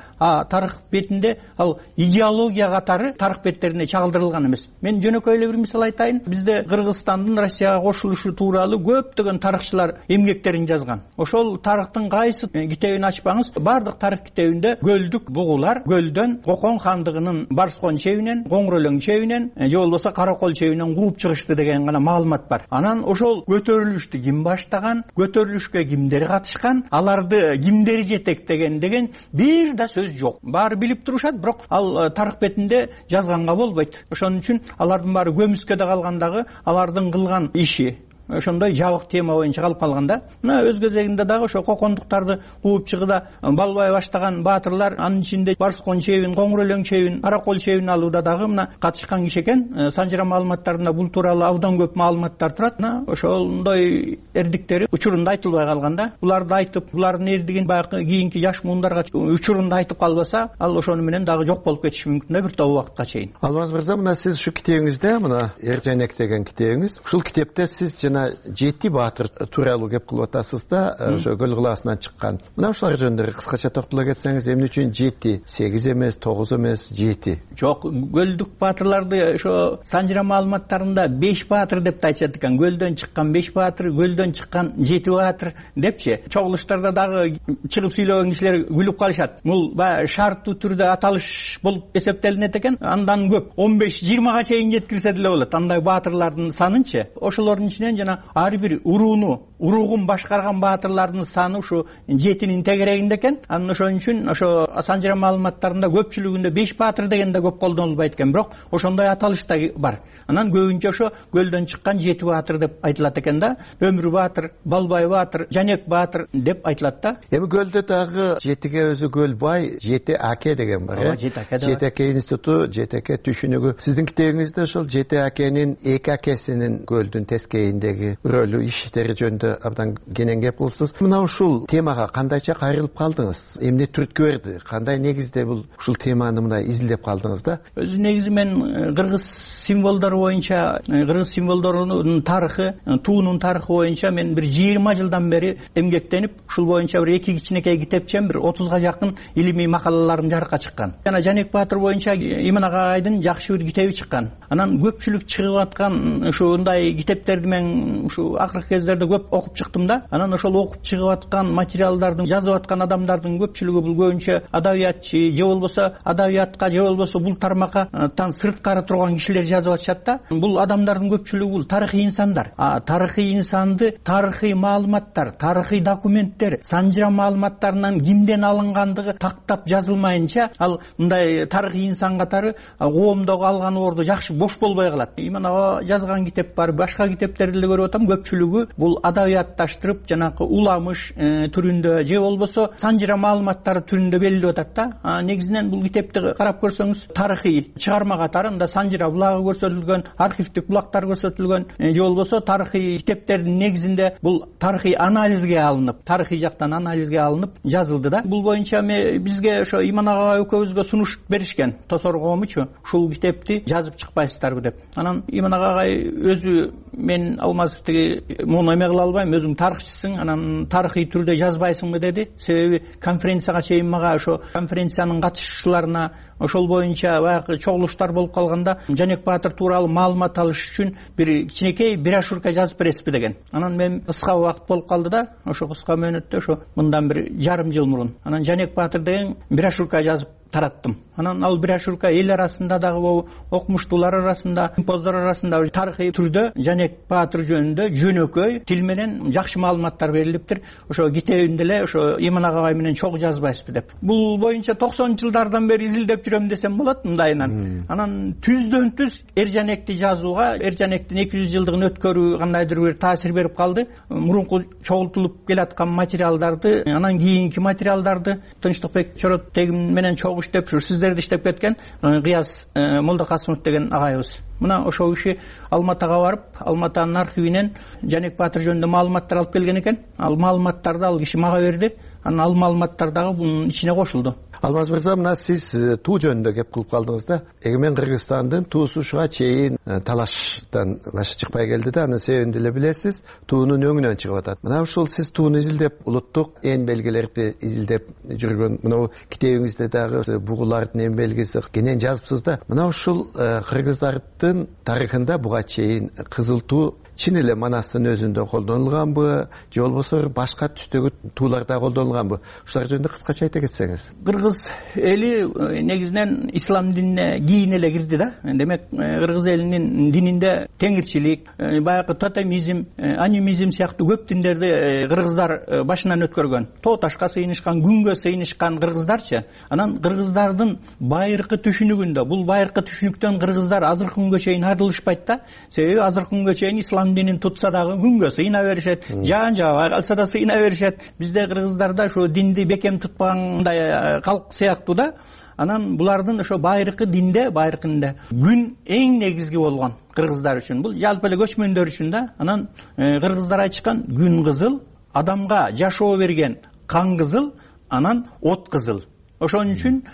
Тарых бетинде ал идеология катары тарых беттерине чагылдырылган эмес. Мен жөнөкөй эле бир мисал айтайын. Бизде Кыргызстандын Россияга кошулушу тууралуу көптөгөн тарыхчылар эмгектерин жазган. Ошол тарыхтын кайсы китебин ачпаңыз, бардык тарых китебинде көлдүк бугулар көлдөн Кокон хандыгынын Барскон чебинен, Коңрөлөң чебинен же болбосо Каракол чебинен кууп чыгышты деген гана маалымат бар. Анан ошол көтөрүлүштү ким баштаган, көтөрүлүшкө кимдер катышкан, аларды кимдер жетектеген деген бир да сөз жок. Баары билип турушат, бирок ал тарых бетинде жазганга болбойт. Ошон үчүн алардын баары көмүскөдө калгандагы алардын кылган иши ошондой жабык тема боюнча калып калганда. Мына өз кезегинде дагы ошо кокондуктарды кууп чыгыда балбай баштаган баатырлар, анын ичинде Барскон чебин, Коңрөлөң чебин, Каракол чебин алууда дагы мына катышкан киши экен. Санжыра маалыматтарында бул тууралуу абдан көп маалыматтар турат. Мына ошондой эрдиктери учурунда айтылбай калганда, буларды айтып, булардын эрдигин баягы кийинки жаш муундарга учурунда айтып калбаса, ал ошону менен дагы жок болуп кетиши мүмкүн да бир топ убакытка чейин. Алмаз мырза, мына сиз ушу китебиңизде, мына Ер Жанек деген китебиңиз, ушул китепте сиз жана 7 баатыр тууралуу кеп кылып атасыз да, ошо Көл кылаасынан чыккан. Мына ушулар жөнүндө кыскача токтоло кетсеңиз, эмне үчүн 7, 8 эмес, 9 эмес, 7? Жок, көлдүк баатырларды ошо санжыра маалыматтарында 5 баатыр деп айтышат экен. Көлдөн чыккан 5 баатыр, көлдөн чыккан 7 баатыр депчи. Чогулуштарда дагы чыгып сүйлөгөн кишилер күлүп калышат. Бул шарттуу түрдө аталыш болуп эсептелинет экен. Андан көп 15-20га чейин жеткирсе деле болот. Андай баатырлардын санынчы. Ошолордун ичинен жана ар бир урууну уругун башкарган баатырлардын саны ушу 7-нин тегерегинде экен. Анан ошон үчүн ошо санжыра маалыматтарында көпчүлүгүндө 5 баатыр деген да көп колдонулбайт экен, бирок ошондой аталыш да бар. Анан көбүнчө ошо көлдөн чыккан 7 баатыр деп айтылат экен да. Өмүр баатыр, Балбай баатыр, Жанек баатыр деп айтылат да. Эми көлдө дагы 7ге өзү Көлбай, 7 аке деген бар. 7 аке институту, 7 аке түшүнүгү. Сиздин китебиңизде ошол 7 акенин 2 акесинин көлдүн тескейиндеги рөлү, иштери жөнүндө абдан кенен кеп кылыпсыз. Мына ушул темага кандайча кайрылып калдыңыз? Эмне түрткү берди? Кандай негизде бул ушул теманы мындай изилдеп калдыңыз да? Өзү негизи мен кыргыз символдору боюнча, кыргыз символдорунун тарыхы, туунун тарыхы боюнча мен бир 20 жылдан бери эмгектенип, ушул боюнча бир 2 кичинекей китепчем, бир 30га жакын илимий макалаларым жарыкка чыккан. Жана Жанек баатыр боюнча Иман Агайдын жакшы бир китеби чыккан. Анан көпчүлүк чыгып аткан ушундай китептерди мен ушу акыркы кездерде көп окуп чыктым да. Анан ошол окуп чыгып аткан материалдардын, жазып аткан адамдардын көпчүлүгү бул көбүнчө адабиятчы, же болбосо адабиятка, же болбосо бул тармаккатан сырткары турган кишилер жазып атышат да. Бул адамдардын көпчүлүгү бул тарыхый инсандар. Тарыхый инсанды тарыхый маалыматтар, тарыхый документтер, санжыра маалыматтарынан кимден алынгандыгы тактап жазылмайынча, ал мындай тарыхый инсан катары коомдогу алган орду жакшы бош болбой калат. Иман ага жазган китеп бар, башка китептерди эле көрүп атам, көпчүлүгү бул адабиятташтырып, жанакы уламыш түрүндө же болбосо санжыра маалыматтары түрүндө белгилеп атат да. Негизинен бул китепти карап көрсөңүз, тарыхый чыгарма катары мында санжыра булагы көрсөтүлгөн, архивдик булактар көрсөтүлгөн, же болбосо тарыхый китептердин негизинде бул тарыхый анализге алынып, тарыхый жактан анализге алынып жазылды да. Бул боюнча бизге ошо Иман ага экөөбүзгө сунуш беришкен, Тосор коомучу, ушул китепти жазып чыкпайсыздарбы деп. Анан Иман агай өзү, мен алмаз тиги муну эме кыла албайм, өзүң тарыхчысың, анан тарыхый түрдө жазбайсыңбы деди. Себеби конференцияга чейин мага ошо конференциянын катышуучуларына ошол боюнча баягы чогулуштар болуп калганда Жанек баатыр тууралуу маалымат алыш үчүн бир кичинекей брошюрка жазып бересизби деген. Анан мен кыска убакыт болуп калды да, ошо кыска мөөнөттө, ошо мындан бир жарым жыл мурун анан Жанек баатыр деген брошюрка жазып тараттым. Анан ал брошюрка эл арасында дагы, окумуштуулар арасында, импоздор арасында тарыхый түрдө Жанек баатыр жөнүндө жөнөкөй тил менен жакшы маалыматтар берилиптир. Ошо китебимде эле ошо Иман агай менен чогуу жазбайсызбы деп. Бул боюнча 90-жылдардан бери изилдеп жүрөм десем болот мындайынан. Анан түздөн түз Эржанекти жазууга, Эржанектин 200 жылдыгын өткөрүү кандайдыр бир таасир берип калды. Мурунку чогултулуп келаткан материалдарды, анан кийинки материалдарды Тынчтыкбек Чоротегим менен чогуу иштеп, сиздерди иштеп кеткен Кыяз Молдокасымов деген агайыбыз. Мына ошол киши Алматага барып, Алматанын архивинен Жанек баатыр жөнүндө маалыматтар алып келген экен. Ал маалыматтарды ал киши мага берди. Анан ал маалыматтар дагы бунун ичине кошулду. Алмаз мырза, мына сиз туу жөнүндө кеп кылып калдыңыз да. Эгемен Кыргызстандын туусу ушуга чейин талаштан башы чыкпай келди да, анын себебин деле билесиз, туунун өңүнөн чыгып атат. Мына ушул сиз тууну изилдеп, улуттук эн белгилерди изилдеп жүргөн мына китебиңизде дагы бугулардын эн белгиси кенен жазыпсыз да. Мына ушул кыргыздардын тарыхында буга чейин кызыл туу чын эле Манастын өзүндө колдонулганбы, же болбосо башка түстөгү тууларда колдонулганбы? Ушулар жөнүндө кыскача айта кетсеңиз. Кыргыз эли негизинен ислам динине кийин эле кирди да. Демек, кыргыз элинин дининде теңирчилик, баягы тотемизм, анимизм сыяктуу көп диндерди кыргыздар башынан өткөргөн. Тоо ташка сыйынышкан, күнгө сыйынышкан кыргыздарчы. Анан кыргыздардын байыркы түшүнүгүндө, бул байыркы түшүнүктөн кыргыздар азыркы күнгө чейин арылышпайт да. Себеби азыркы күнгө чейин ислам динин тутса дагы күнгө сыйына беришет, жаан жабай калса да сыйына беришет. Бизде кыргыздарда ошо динди бекем тутпагандай калк сыяктуу да. Анан булардын ошо байыркы динде, байыркында күн эң негизги болгон кыргыздар үчүн. Бул жалпы эле көчмөндөр үчүн да. Анан кыргыздар айтышкан, күн кызыл, адамга жашоо берген кан кызыл, анан от кызыл. Ошон үчүн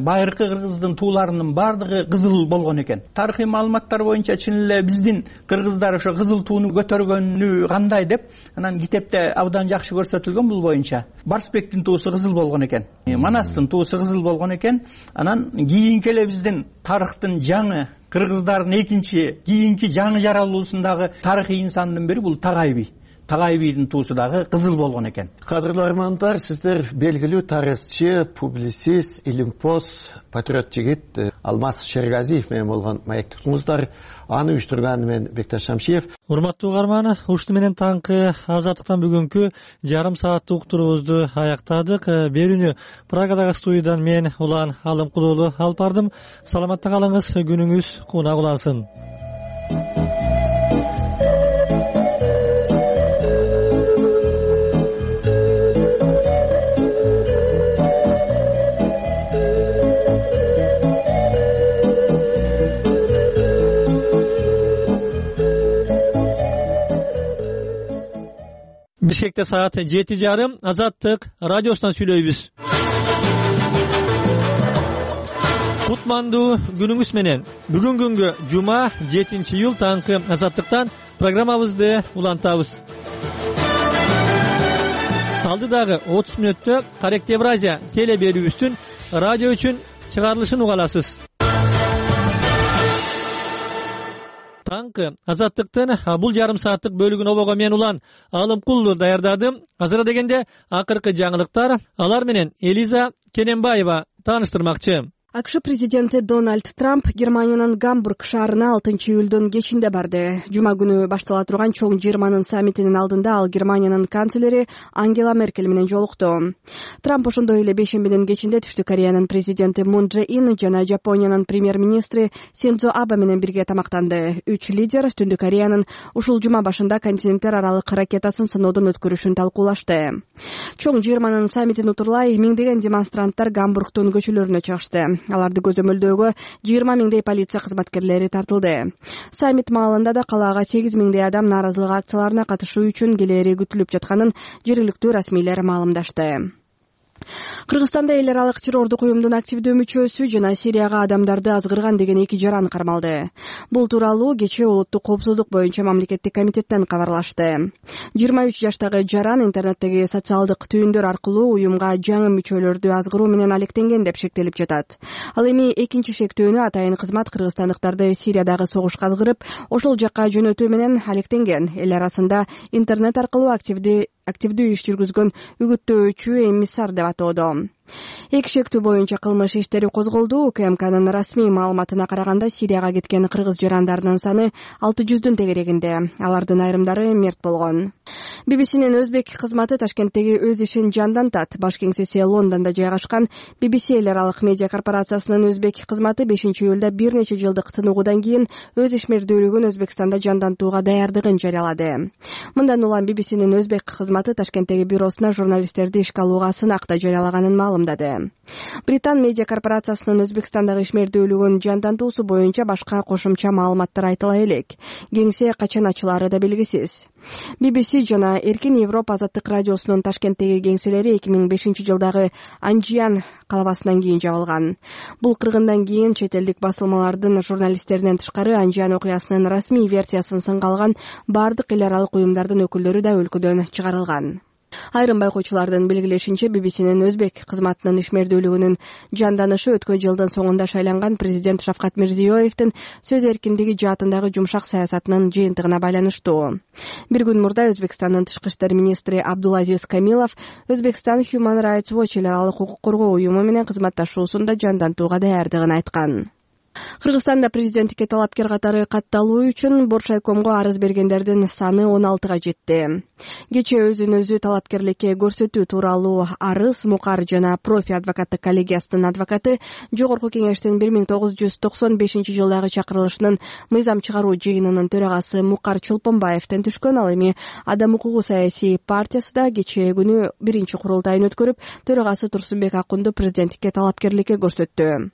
байыркы кыргыздын тууларынын бардыгы кызыл болгон экен. Тарыхый маалыматтар боюнча чын эле биздин кыргыздар ошо кызыл тууну көтөргөнү кандай деп, анан китепте абдан жакшы көрсөтүлгөн бул боюнча. Барсбектин туусу кызыл болгон экен. Манастын туусу кызыл болгон экен. Анан кийинки эле биздин тарыхтын жаңы кыргыздардын кийинки жаңы жаралуусундагы тарыхый инсандын бири бул Тагайби. Тагайбийдин туусу дагы кызыл болгон экен. Кадырлуу армандар, сиздер белгилүү тарыхчы, публицист, илимпоз, патриот жигит Алмаз Шергазиев менен болгон маектиктиңиздер. аны уюштурган мен Бекташ Шамшиев. Урматтуу угарман, ушуну менен таңкы Азаттыктан бүгүнкү жарым сааттык уктуруубузду аяктадык. Берүүнү Прагадагы студиядан мен Улан Алымкул уулу алып бардым. Саламатта калыңыз, күнүңүз кунак улансын. Бишкекте саат 7:30 Азаттык радиосунан сүйлөйбүз. Кутмандуу күнүңүз менен. Бүгүн күнгө жума 7-июл таңкы Азаттыктан программабызды улантабыз. Алдыдагы 30 мүнөттө Карек Евразия теле берүүбүздүн радио үчүн чыгарылышын угаласыз. Таңкы Азаттыктын бул жарым сааттык бөлүгүн обого мен Улан Алымкул даярдадым. Азыр дегенде акыркы жаңылыктар, алар менен Элиза Кененбаева тааныштырмакчы. АКШ президенти Дональд Трамп Германиянын Гамбург шаарына 6-июлдун кечинде барды. Жума күнү баштала турган чоң жыйырманын саммитинин алдында ал Германиянын канцлери Ангела Меркель менен жолукту. Трамп ошондой эле бейшембинин кечинде Түштүк Кореянын президенти Мун Чже Ин жана Жапониянын премьер-министри Синдзо Абе менен бирге тамактанды. Үч лидер Түндүк Кореянын ушул жума башында континенттер аралык ракетасын сыноодон өткөрүшүн талкуулашты. Чоң жыйырманын саммитин утурлай миңдеген демонстранттар Гамбургдун көчөлөрүнө чыгышты. Аларды көзөмөлдөөгө 20 миңдей полиция кызматкерлери тартылды. Саммит маалында да калаага 8 миңдей адам нааразылык акцияларына катышуу үчүн келери күтүлүп жатканын жергиликтүү расмийлер маалымдашты. Кыргызстанда эл аралык террордук уюмдун активдүү мүчөсү жана Сирияга адамдарды азгырган деген 2 жаран кармалды. Бул тууралуу кечээ улуттук коопсуздук боюнча мамлекеттик комитеттен кабарлашты. 23 жаштагы жаран интернеттеги социалдык түйүндөр аркылуу уюмга жаңы мүчөлөрдү азгыруу менен алектенген деп шектелип жатат. Ал эми экинчи шектөөнү атайын кызмат кыргызстандыктарды Сириядагы согушка азгырып, ошол жакка жөнөтүү менен алектенген. Эл арасында интернет аркылуу активдүү иш жүргүзгөн үгүттөөчү эмиссар деп атоодо. Эки шектүү боюнча кылмыш иштери козголду. УКМКнын расмий маалыматына караганда Сирияга кеткен кыргыз жарандарынын саны 600дүн тегерегинде. Алардын айрымдары мерт болгон. BBCнин өзбек кызматы Ташкенттеги өз ишин жандантат. Баш кеңсеси Лондондо жайгашкан BBC эл аралык медиа корпорациясынын өзбек кызматы 5-июлда бир нече жылдык тыныгуудан кийин өз ишмердүүлүгүн Өзбекстанда жандантууга даярдыгын жарыялады. Мындан улам BBCнин өзбек кызматы Ташкенттеги бюросуна журналисттерди ишке алууга сынакта жарыялаганын маалымдады. Британ медиа корпорациясынын Өзбекстандагы ишмердүүлүгүн жандантуусу боюнча башка кошумча маалыматтар айтыла элек. Кеңсе качан ачылары да белгисиз. BBC жана Эркин Европа азаттык радиосунун Ташкенттеги кеңселери 2005 жылдагы Анжиян калабасынан кийин жабылган. Бул кыргындан кийин чет элдик басылмалардын журналисттеринен тышкары Анжиян окуясынын расмий версиясын сынга алган бардык эл аралык уюмдардын өкүлдөрү да өлкөдөн чыгарылган. Айрым байкоочулардын белгилешинче BBCнин өзбек кызматынын ишмердүүлүгүнүн жанданышы өткөн жылдын соңунда шайланган президент Шавкат Мирзиёевдин сөз эркиндиги жаатындагы жумшак саясатынын жыйынтыгына байланыштуу. Бир күн мурда Өзбекстандын тышкы иштер министри Абдулазиз Камилов Өзбекстан Human Rights Watch эл аралык укук коргоо уюму менен кызматташуусунда жандантууга даярдыгын айткан. Кыргызстанда президенттикке талапкер катары катталуу үчүн Боршайкомго арыз бергендердин саны 16га жетти. Кечээ өзүн өзү талапкерликке көрсөтүү тууралуу арыз Мукар жана Профи адвокаттык коллегиясынын адвокаты Жогорку кеңештин 1995 жылдагы чакырылышынын мыйзам чыгаруу жыйынынын төрагасы Мукар Чолпонбаевден түшкөн. Ал эми Адам укугу саясий партиясы да кечээ күнү биринчи курултайын өткөрүп, төрагасы Турсунбек Акунду президенттикке талапкерликке көрсөттү.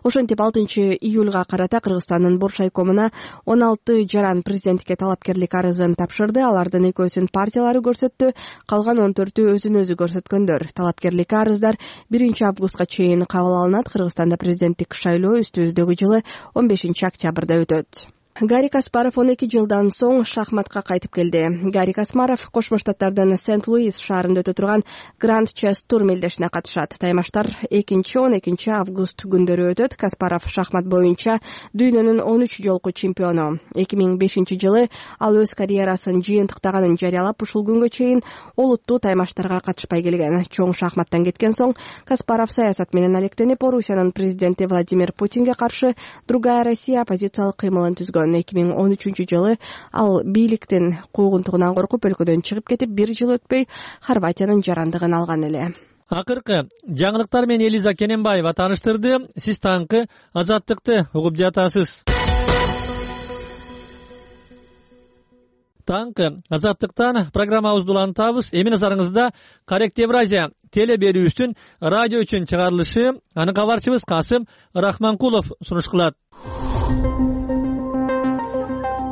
Ошентип 6-июлга карата Кыргызстандын Боршайкомуна 16 жаран президенттикке талапкерлик арызын тапшырды. Алардын экөөсүн партиялары көрсөттү, калган 14-ü өзүн өзү көрсөткөндөр. Талапкерлик арыздар 1 августка чейин кабыл алынат. Кыргызстанда президенттик шайлоо үстүбүздөгү жылы 15 октябрда өтөт. Гарри Каспаров 12 жылдан соң шахматка кайтып келди. Гарри Каспаров Кошмо Штаттардын Сент-Луис шаарында өтө турган Гранд Чесс тур мелдешине катышат. Таймаштар 2-12 август күндөрү өтөт. Каспаров шахмат боюнча дүйнөнүн 13 жолку чемпиону. 2005 жылы ал өз карьерасын жыйынтыктаганын жарыялап, ушул күнгө чейин олуттуу таймаштарга катышпай келген. Чоң шахматтан кеткен соң Каспаров саясат менен алектенип, Орусиянын президенти Владимир Путинге каршы Другая Россия оппозициялык кыймылын түзгөн. болгон. 2013-жылы ал бийликтин куугунтугунан коркуп өлкөдөн чыгып кетип, 1 жыл өтпөй Хорватиянын жарандыгын алган эле. Акыркы жаңылыктар менен Элиза Кененбаева тааныштырды. Сиз таңкы Азаттыкты угуп жатасыз. Таңкы Азаттыктан программабызды улантабыз. Эми назарыңызда Коррект Евразия теле берүүсүн радио үчүн чыгарылышы. Аны кабарчыбыз Касым Рахманкулов сунуш кылат.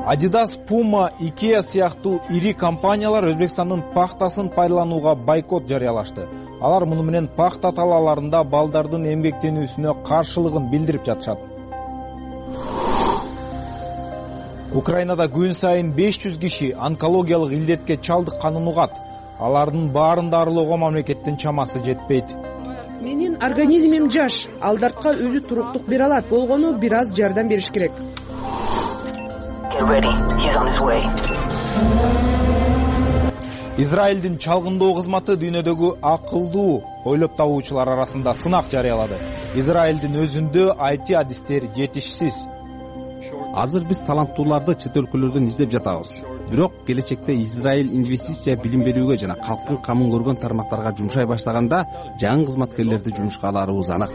Adidas, Puma, IKEA сыяктуу ири компаниялар Өзбекстандын пахтасын пайдаланууга бойкот жарыялашты. Алар муну менен пахта талааларында балдардын эмгектенүүсүнө каршылыгын билдирип жатышат. Украинада күн сайын 500 киши онкологиялык илдетке чалдыкканын угат. Алардын баарын дарылоого мамлекеттин чамасы жетпейт. Менин организмим жаш, алдартка өзү туруктук бере алат. Болгону бир аз жардам бериш керек. Израилдин чалгындоо кызматы дүйнөдөгү акылдуу ойлоп табуучулар арасында сынак жарыялады. Израилдин өзүндө IT адистер жетишсиз. Азыр биз таланттууларды чет өлкөлөрдөн издеп жатабыз. Бирок келечекте Израиль инвестиция билим берүүгө жана калктын камын көргөн тармактарга жумшай баштаганда жаңы кызматкерлерди жумушка аларыбыз анак.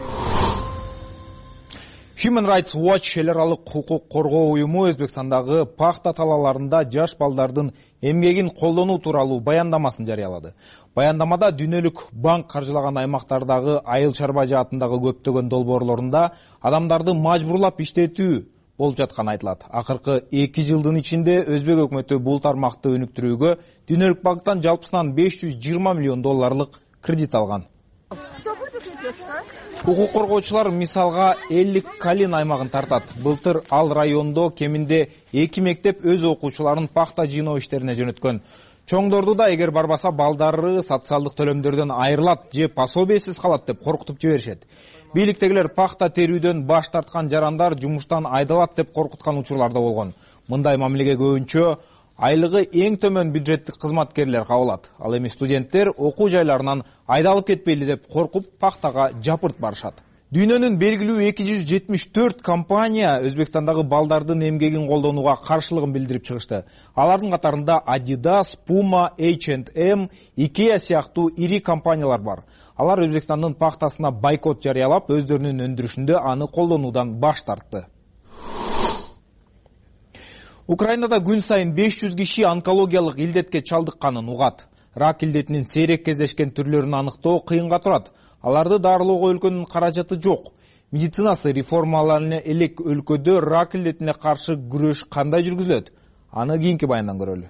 Human Rights Watch эл аралык укук коргоо уюму Өзбекстандагы пахта талааларында жаш балдардын эмгегин колдонуу тууралуу баяндамасын жарыялады. Баяндамада дүйнөлүк банк каржылаган аймактардагы айыл чарба жаатындагы көптөгөн долбоорлорунда адамдарды мажбурлап иштетүү болуп жатканы айтылат. Акыркы 2 жылдын ичинде Өзбек өкмөтү бул тармакты өнүктүрүүгө дүйнөлүк банктан жалпысынан $520 миллион кредит алган. Укук коргоочулар мисалга Эллик Калин аймагын тартат. Былтыр ал райондо кеминде 2 мектеп өз окуучуларын пахта жыйноо иштерине жөнөткөн. Чоңдорду да эгер барбаса балдары социалдык төлөмдөрдөн айрылат же пособиесиз калат деп коркутуп жиберишет. Бийликтегилер пахта терүүдөн баш тарткан жарандар жумуштан айдалат деп коркуткан учурлар да болгон. Мындай мамилеге көбүнчө айлыгы эң төмөн бюджеттик кызматкерлер кабылат. Ал эми студенттер окуу жайларынан айдалып кетпейли деп коркуп пахтага жапырт барышат. Дүйнөнүн белгилүү 274 компания Өзбекстандагы балдардын эмгегин колдонууга каршылыгын билдирип чыгышты. Алардын катарында Adidas, Puma, H&M, IKEA сыяктуу ири компаниялар бар. Алар Өзбекстандын пахтасына бойкот жарыялап, өздөрүнүн өндүрүшүндө аны колдонуудан баш тартты. Украинада күн сайын 500 киши онкологиялык илдетке чалдыкканын угат. Рак илдетинин сейрек кездешкен түрлөрүн аныктоо кыйынга турат. Аларды дарылоого өлкөнүн каражаты жок. Медицинасы реформаларына элек өлкөдө рак илдетине каршы күрөш кандай жүргүзүлөт? Аны кийинки баяндан көрөлү.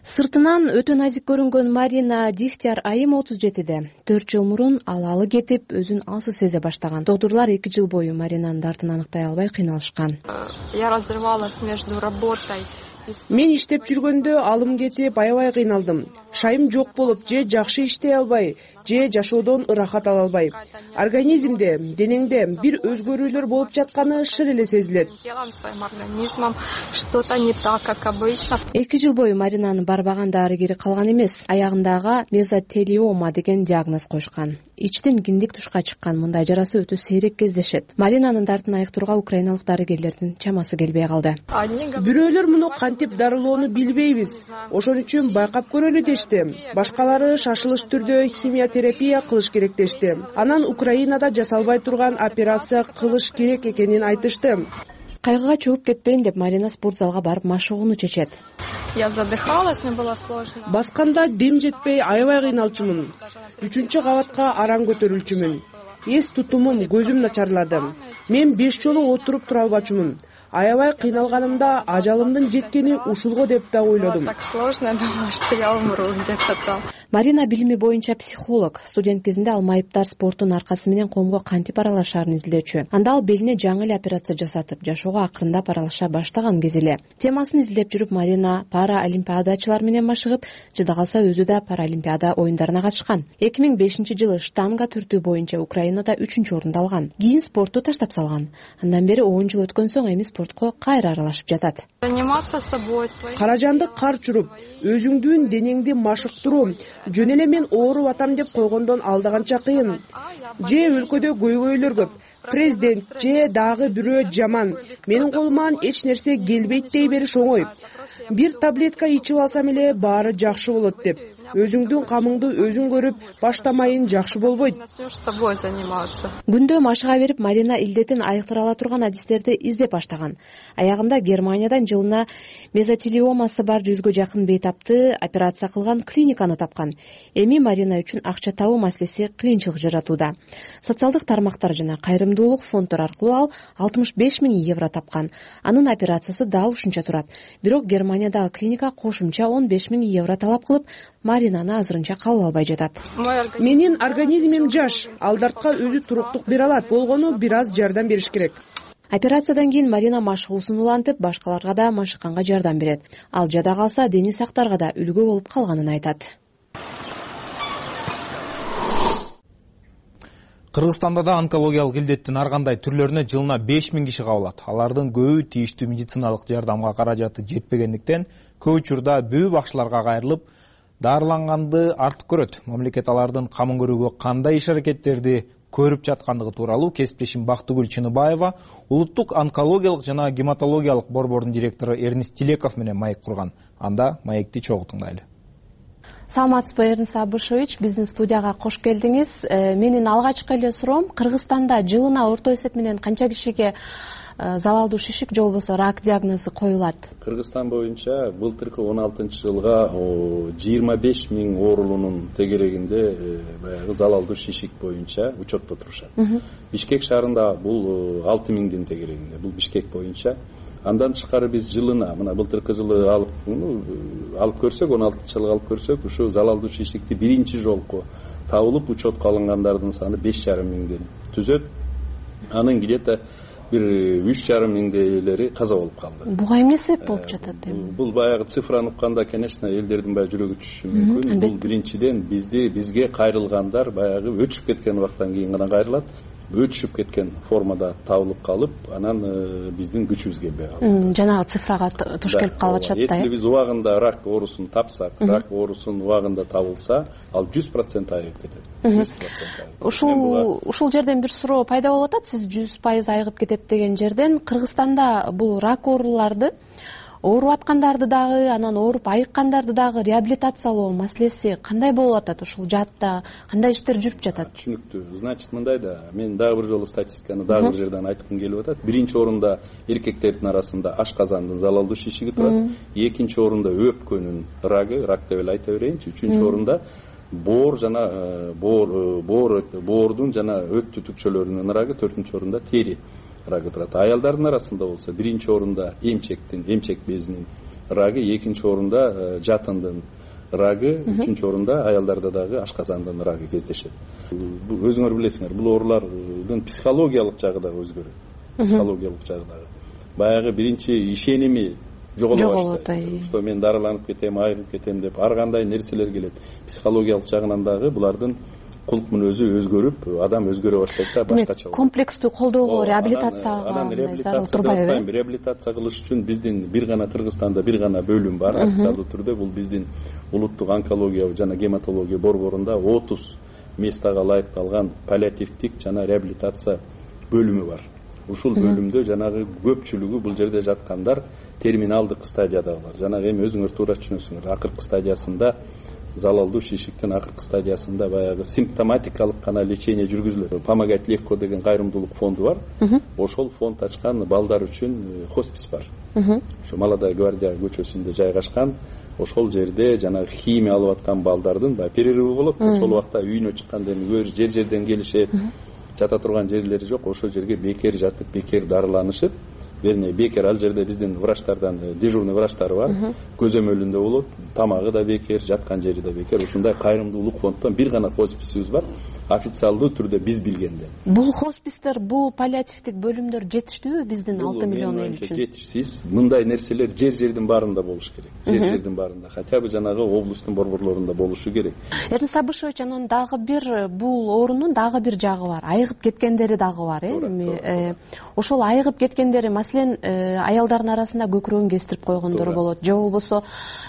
Сыртынан өтө назик көрүнгөн Марина Дихтяр айым 37-де. 4 жыл мурун алалы кетип, өзүн алсыз сезе баштаган. Доктурлар 2 жыл бою Маринанын дартын аныктай албай кыйналышкан. Я разрывалась между работой. Мен иштеп жүргөндө алым кетип, аябай кыйналдым. Шайым жок болуп, же жакшы иштей албай, же жашоодон ырахат ала албай. Организмде, денеңде бир өзгөрүүлөр болуп жатканы шыр эле сезилет. Что-то не так, как обычно. 2 жыл бою Маринанын барбаган дарыгери калган эмес. Аягындагы мезотелиома деген диагноз коюшкан. Ичтен киндик тушка чыккан. Мындай жарасы өтө сейрек кездешет. Маринанын дартын айыктырууга украиналык дарыгерлердин чамасы келбей калды. Бирөөлөр муну кантип дарылоону билбейбиз. Ошон үчүн байкап көрөлү дешти. Башкалары шашылыш түрдө химиотерапия кылыш керек дешти. Анан Украинада жасалбай турган операция кылыш керек экенин айтышты. Кайгыга чөгүп кетпейин деп Марина спортзалга барып машыгууну чечет. Я задыхалась, мне было сложно. Басканда дем жетпей аябай кыйналчумун. 3-чү кабатка араң көтөрүлчүмүн. Эс тутумум, көзүм начарлады. Мен 5 жолу отуруп тура албачумун. Аябай кыйналганымда ажалымдын жеткени ушулго деп да ойлодум. Так сложно, думаю, что я умру где-то там. Марина билими боюнча психолог. Студент кезинде ал майыптар спорттун аркасы менен коомго кантип аралашаарын изилдөөчү. Анда ал белине жаңы эле операция жасатып, жашоого акырындап аралаша баштаган кез эле. Темасын изилдеп жүрүп, Марина пара олимпиадачылар менен машыгып, жада калса өзү да паралимпиада оюндарына катышкан. 2005-жылы штанга түртүү боюнча Украинада 3-чү орунду алган. Кийин спортту таштап салган. Андан бери 10 жыл өткөн соң эми спортко кайра аралашып жатат. Заниматься собой. Каражанды кар чуруп, өзүңдүн денеңди машыктыруу, жөн эле мен ооруп атам деп койгондон алдаганча кыйын. Же өлкөдө көйгөйлөр көп, президент же дагы бирөө жаман, менин колуман эч нерсе келбейт дей бериш оңой. Бир таблетка ичип алсам эле баары жакшы болот деп. Өзүңдүн камыңды өзүң көрүп баштамайын жакшы болбойт. Күндө машыга берип Марина илдетин айыктыра ала турган адистерди издеп баштаган. Аягында Германиядан жылына мезотелиомасы бар 100гө жакын бейтапты операция кылган клиниканы тапкан. Эми Марина үчүн акча табуу маселеси кыйынчылык жаратууда. Социалдык тармактар жана кайрымдуулук фонддор аркылуу ал 65 000 евро тапкан. Анын операциясы дал ушунча турат. Бирок Германиядагы клиника кошумча 15 000 евро талап кылып, Маринаны азырынча кабыл албай жатат. Менин организмим жаш, алдартка өзү туруктук бере алат, болгону бир аз жардам бериш керек. Операциядан кийин Марина машыгуусун улантып, башкаларга да машыкканга жардам берет. Ал жада калса, дени сактарга да үлгү болуп калганын айтат. Кыргызстанда да онкологиялык илдеттин ар кандай түрлөрүнө жылына 5000 киши кабылат. Алардын көбү тийиштүү медициналык жардамга каражаты жетпегендиктен көп учурда бөө бакчыларга кайрылып, дарыланганды артык көрөт. Мамлекет алардын камын көрүүгө кандай иш-аракеттерди көрүп жаткандыгы тууралуу кесиптешим Бактыгүл Чыныбаева улуттук онкологиялык жана гематологиялык борбордун директору Эрнис Тилеков менен маек курган. Анда маекти чогуу тыңдайлы. Саламатсызбы, Эрнис Абышевич, биздин студияга кош келдиңиз. Менин алгачкы эле суроом, Кыргызстанда жылына орто эсеп менен канча кишиге залалдуу шишик же болбосо рак диагнозу коюлат? Кыргызстан боюнча былтыркы 16-жылга 25 000 оорулуунун тегерегинде баягы залалдуу шишик боюнча учетто турушат. Бишкек шаарында бул 6 000дин тегерегинде. Бул Бишкек боюнча. Андан тышкары биз жылына, мына былтыркы жылы алып көрсөк, 16-жылга алып көрсөк, ушу залалдуу шишикти биринчи жолку табылып учетко алынгандардын саны 5,5 миңден түзөт. Анын где-то бир 3,5 миңдейлери каза болуп калды. Буга эмне себеп болуп жатат эми? Бул баягы цифраны укканда, конечно, элдердин баягы жүрөгү түшүшү мүмкүн. Бул биринчиден бизге кайрылгандар баягы өчүп кеткен убакыттан кийин гана кайрылат. Өчүп кеткен формада табылып калып, анан биздин күчүбүз келбей калды. Жанагы цифрага туш келип калып атышат да. Если биз убагында рак оорусун тапсак, рак оорусун убагында табылса, ал 100% айыгып кетет. 100%. Ушул жерден бир суроо пайда болуп атат. Сиз 100% айыгып кетет деген жерден Кыргызстанда бул рак ооруларды ооруп аткандарды дагы, анан ооруп айыккандарды дагы реабилитациялоо маселеси кандай болуп атат? Ушул жаатта кандай иштер жүрүп жатат? Түшүнүктүү. Значит, мындай да, мен дагы бир жолу статистиканы дагы бир жерден айткым келип атат. Биринчи орунда эркектердин арасында ашказандын залалдуу шишиги турат. Экинчи орунда өпкөнүн рагы, рак деп эле айта берейинчи. Үчүнчү орунда боор жана боордун жана өт түтүкчөлөрүнүн рагы, төртүнчү орунда тери рагы турат. Аялдардын арасында болсо биринчи орунда эмчек безинин рагы, экинчи орунда жатындын рагы, үчүнчү орунда аялдарда дагы ашказандын рагы кездешет. Өзүңөр билесиңер, бул оорулардын психологиялык жагы дагы өзгөрөт. Психологиялык жагы дагы. Баягы биринчи ишеними жоголо баштайт. Что мен дарыланып кетем, айыгып кетем деп ар кандай нерселер келет. Психологиялык жагынан дагы булардын кулк мүнөзү өзгөрүп, адам өзгөрө баштайт да, башкача. Комплекстүү колдоого, реабилитацияга турбайбы? Реабилитация кылыш үчүн биздин бир гана Кыргызстанда бир гана бөлүм бар, официалдуу түрдө. Бул биздин улуттук онкология жана гематология борборунда 30 местага ылайыкталган паллиативдик жана реабилитация бөлүмү бар. Ушул бөлүмдө жанагы көпчүлүгү бул жерде жаткандар терминалдык стадиядагылар. Жанагы эми өзүңөр туура түшүнөсүңөр. Акыркы стадиясында залалдуу шишиктин акыркы стадиясында баягы симптоматикалык гана лечение жүргүзүлөт. Помогать легко деген кайрымдуулук фонду бар. Ошол фонд ачкан балдар үчүн хоспис бар. Ошо Молодая гвардия көчөсүндө жайгашкан. Ошол жерде жанагы химия алып аткан балдардын баягы перерывы болот. Ошол убакта үйүнө чыкканда эми жер-жерден келишет. Жата турган жерлери жок. Ошол жерге бекер жатып, бекер дарыланышып, вернее, бекер ал жерде биздин врачтардан дежурный врачтары бар. Көзөмөлүндө болот, тамагы да бекер, жаткан жери да бекер. Ушундай кайрымдуулук фонддон бир гана хосписибиз бар. Официалдуу түрдө биз билгенде. Бул хоспистер, бул паллиативдик бөлүмдөр жетиштүүбү биздин 6 миллион эл үчүн? Жетишсиз. Мындай нерселер жер-жердин баарында болуш керек. Жер-жердин баарында, хотя бы жанагы облустун борборлорунда болушу керек. Эрнис Абышевич, анан дагы бир бул оорунун дагы бир жагы бар. Айыгып кеткендери дагы бар, эми. Ошол айыгып кеткендери Маселен, аялдардын арасында көкүрөгүн кестирип койгондор болот, же болбосо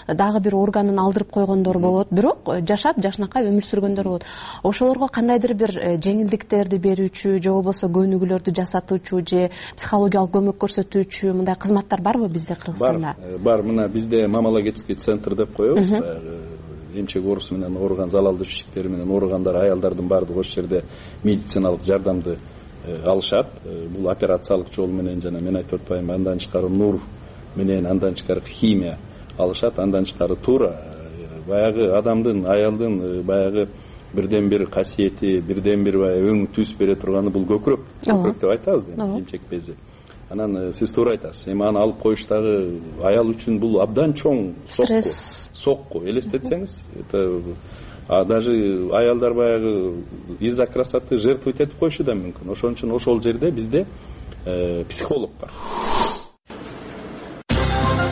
дагы бир органын алдырып койгондор болот, бирок жашап жакшынакай өмүр сүргөндөр болот. Ошолорго кандайдыр бир жеңилдиктерди берүүчү, же болбосо көнүгүүлөрдү жасатуучу, же психологиялык көмөк көрсөтүүчү мындай кызматтар барбы бизде Кыргызстанда? Бар. Мына бизде мамологический центр деп коебуз. Эмчек оорусу менен ооруган, залалдуу ишиктери менен ооругандар, аялдардын баардыгы ошол жерде медициналык жардамды алышат. Бул операциялык жол менен жана мен айтып атпаймынбы, андан тышкары нур менен, андан тышкары химия алышат, андан тышкары туура баягы адамдын, аялдын баягы бирден бир касиети, бирден бир өң түс бере турганы бул көкүрөк. Көкүрөк деп айтабыз да, эмчек бези. Анан сиз туура айтасыз. Эми аны алып коюш дагы аял үчүн бул абдан чоң сокку. Элестетсеңиз, это даже аялдар баягы из-за красоты жертвовать этип коюшу да мүмкүн. Ошон үчүн ошол жерде бизде психолог бар.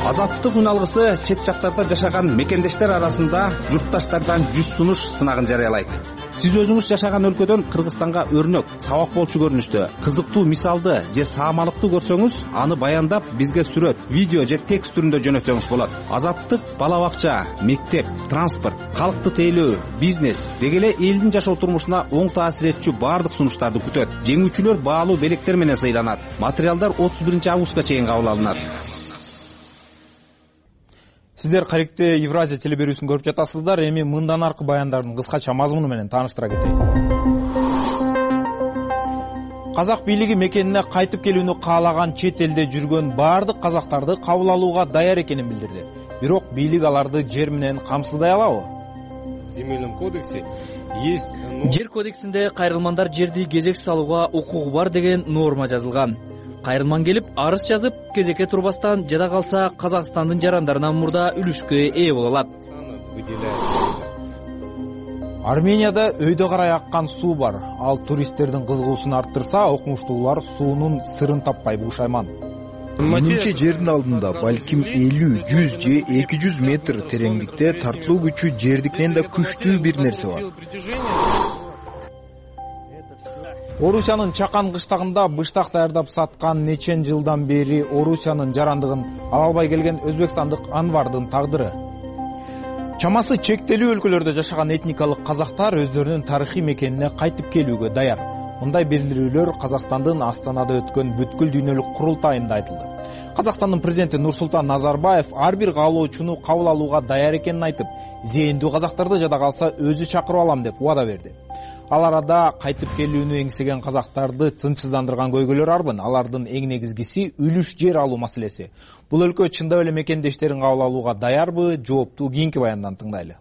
Азаттык үн алгысы чет жактарда жашаган мекендештер арасында журтташтардан 100 сунуш сынагын жарыялайт. Сиз өзүңүз жашаган өлкөдөн Кыргызстанга өрнөк, сабак болчу көрүнүштө кызыктуу мисалды же саамалыкты көрсөңүз, аны баяндап бизге сүрөт, видео же текст түрүндө жөнөтсөңүз болот. Азаттык бала бакча, мектеп, транспорт, калкты тейлөө, бизнес деги эле элдин жашоо турмушуна оң таасир этчү баардык сунуштарды күтөт. Жеңүүчүлөр баалуу белектер менен сыйланат. Материалдар 31-августка чейин кабыл алынат. Сиздер кайрыктуу Евразия телеберүүсүн көрүп жатасыздар. Эми мындан аркы баяндардын кыскача мазмуну менен тааныштыра кетейин. Казак бийлиги мекенине кайтып келүүнү каалаган чет элде жүргөн баардык казактарды кабыл алууга даяр экенин билдирди. Бирок бийлик аларды жер менен камсыздай алабы? В земельном кодексе есть... Жер кодексинде кайрылмандар жерди кезексиз алууга укугу бар деген норма жазылган. Кайрылман келип арыз жазып, кезекке турбастан жада калса Казакстандын жарандарынан мурда үлүшкө ээ боло алат. Арменияда өйдө карай аккан суу бар. Ал туристтердин кызыгуусун арттырса, окумуштуулар суунун сырын таппай бушайман. Менимче жердин алдында балким 50, 100 же 200 метр тереңдикте тартылуу күчү жердикинен да күчтүү бир нерсе бар. Орусиянын Чакан кыштагында быштак даярдап саткан нечен жылдан бери Орусиянын жарандыгын ала албай келген өзбекстандык Анвардын тагдыры. Чамасы чектелүү өлкөлөрдө жашаган этникалык казактар өздөрүнүн тарыхый мекенине кайтып келүүгө даяр. Мындай билдирүүлөр Казакстандын Астанада өткөн бүткүл дүйнөлүк курултайында айтылды. Казакстандын президенти Нурсултан Назарбаев ар бир каалоочуну кабыл алууга даяр экенин айтып, зээндүү казактарды жада калса өзү чакырып алам деп убада берди. Ал арада кайтып келүүнү эңсеген казактарды тынчсыздандырган көйгөйлөр арбын. Алардын эң негизгиси үлүш жер алуу маселеси. Бул өлкө чындап эле мекендештерин кабыл алууга даярбы? Жоопту кийинки баяндан тыңдайлы.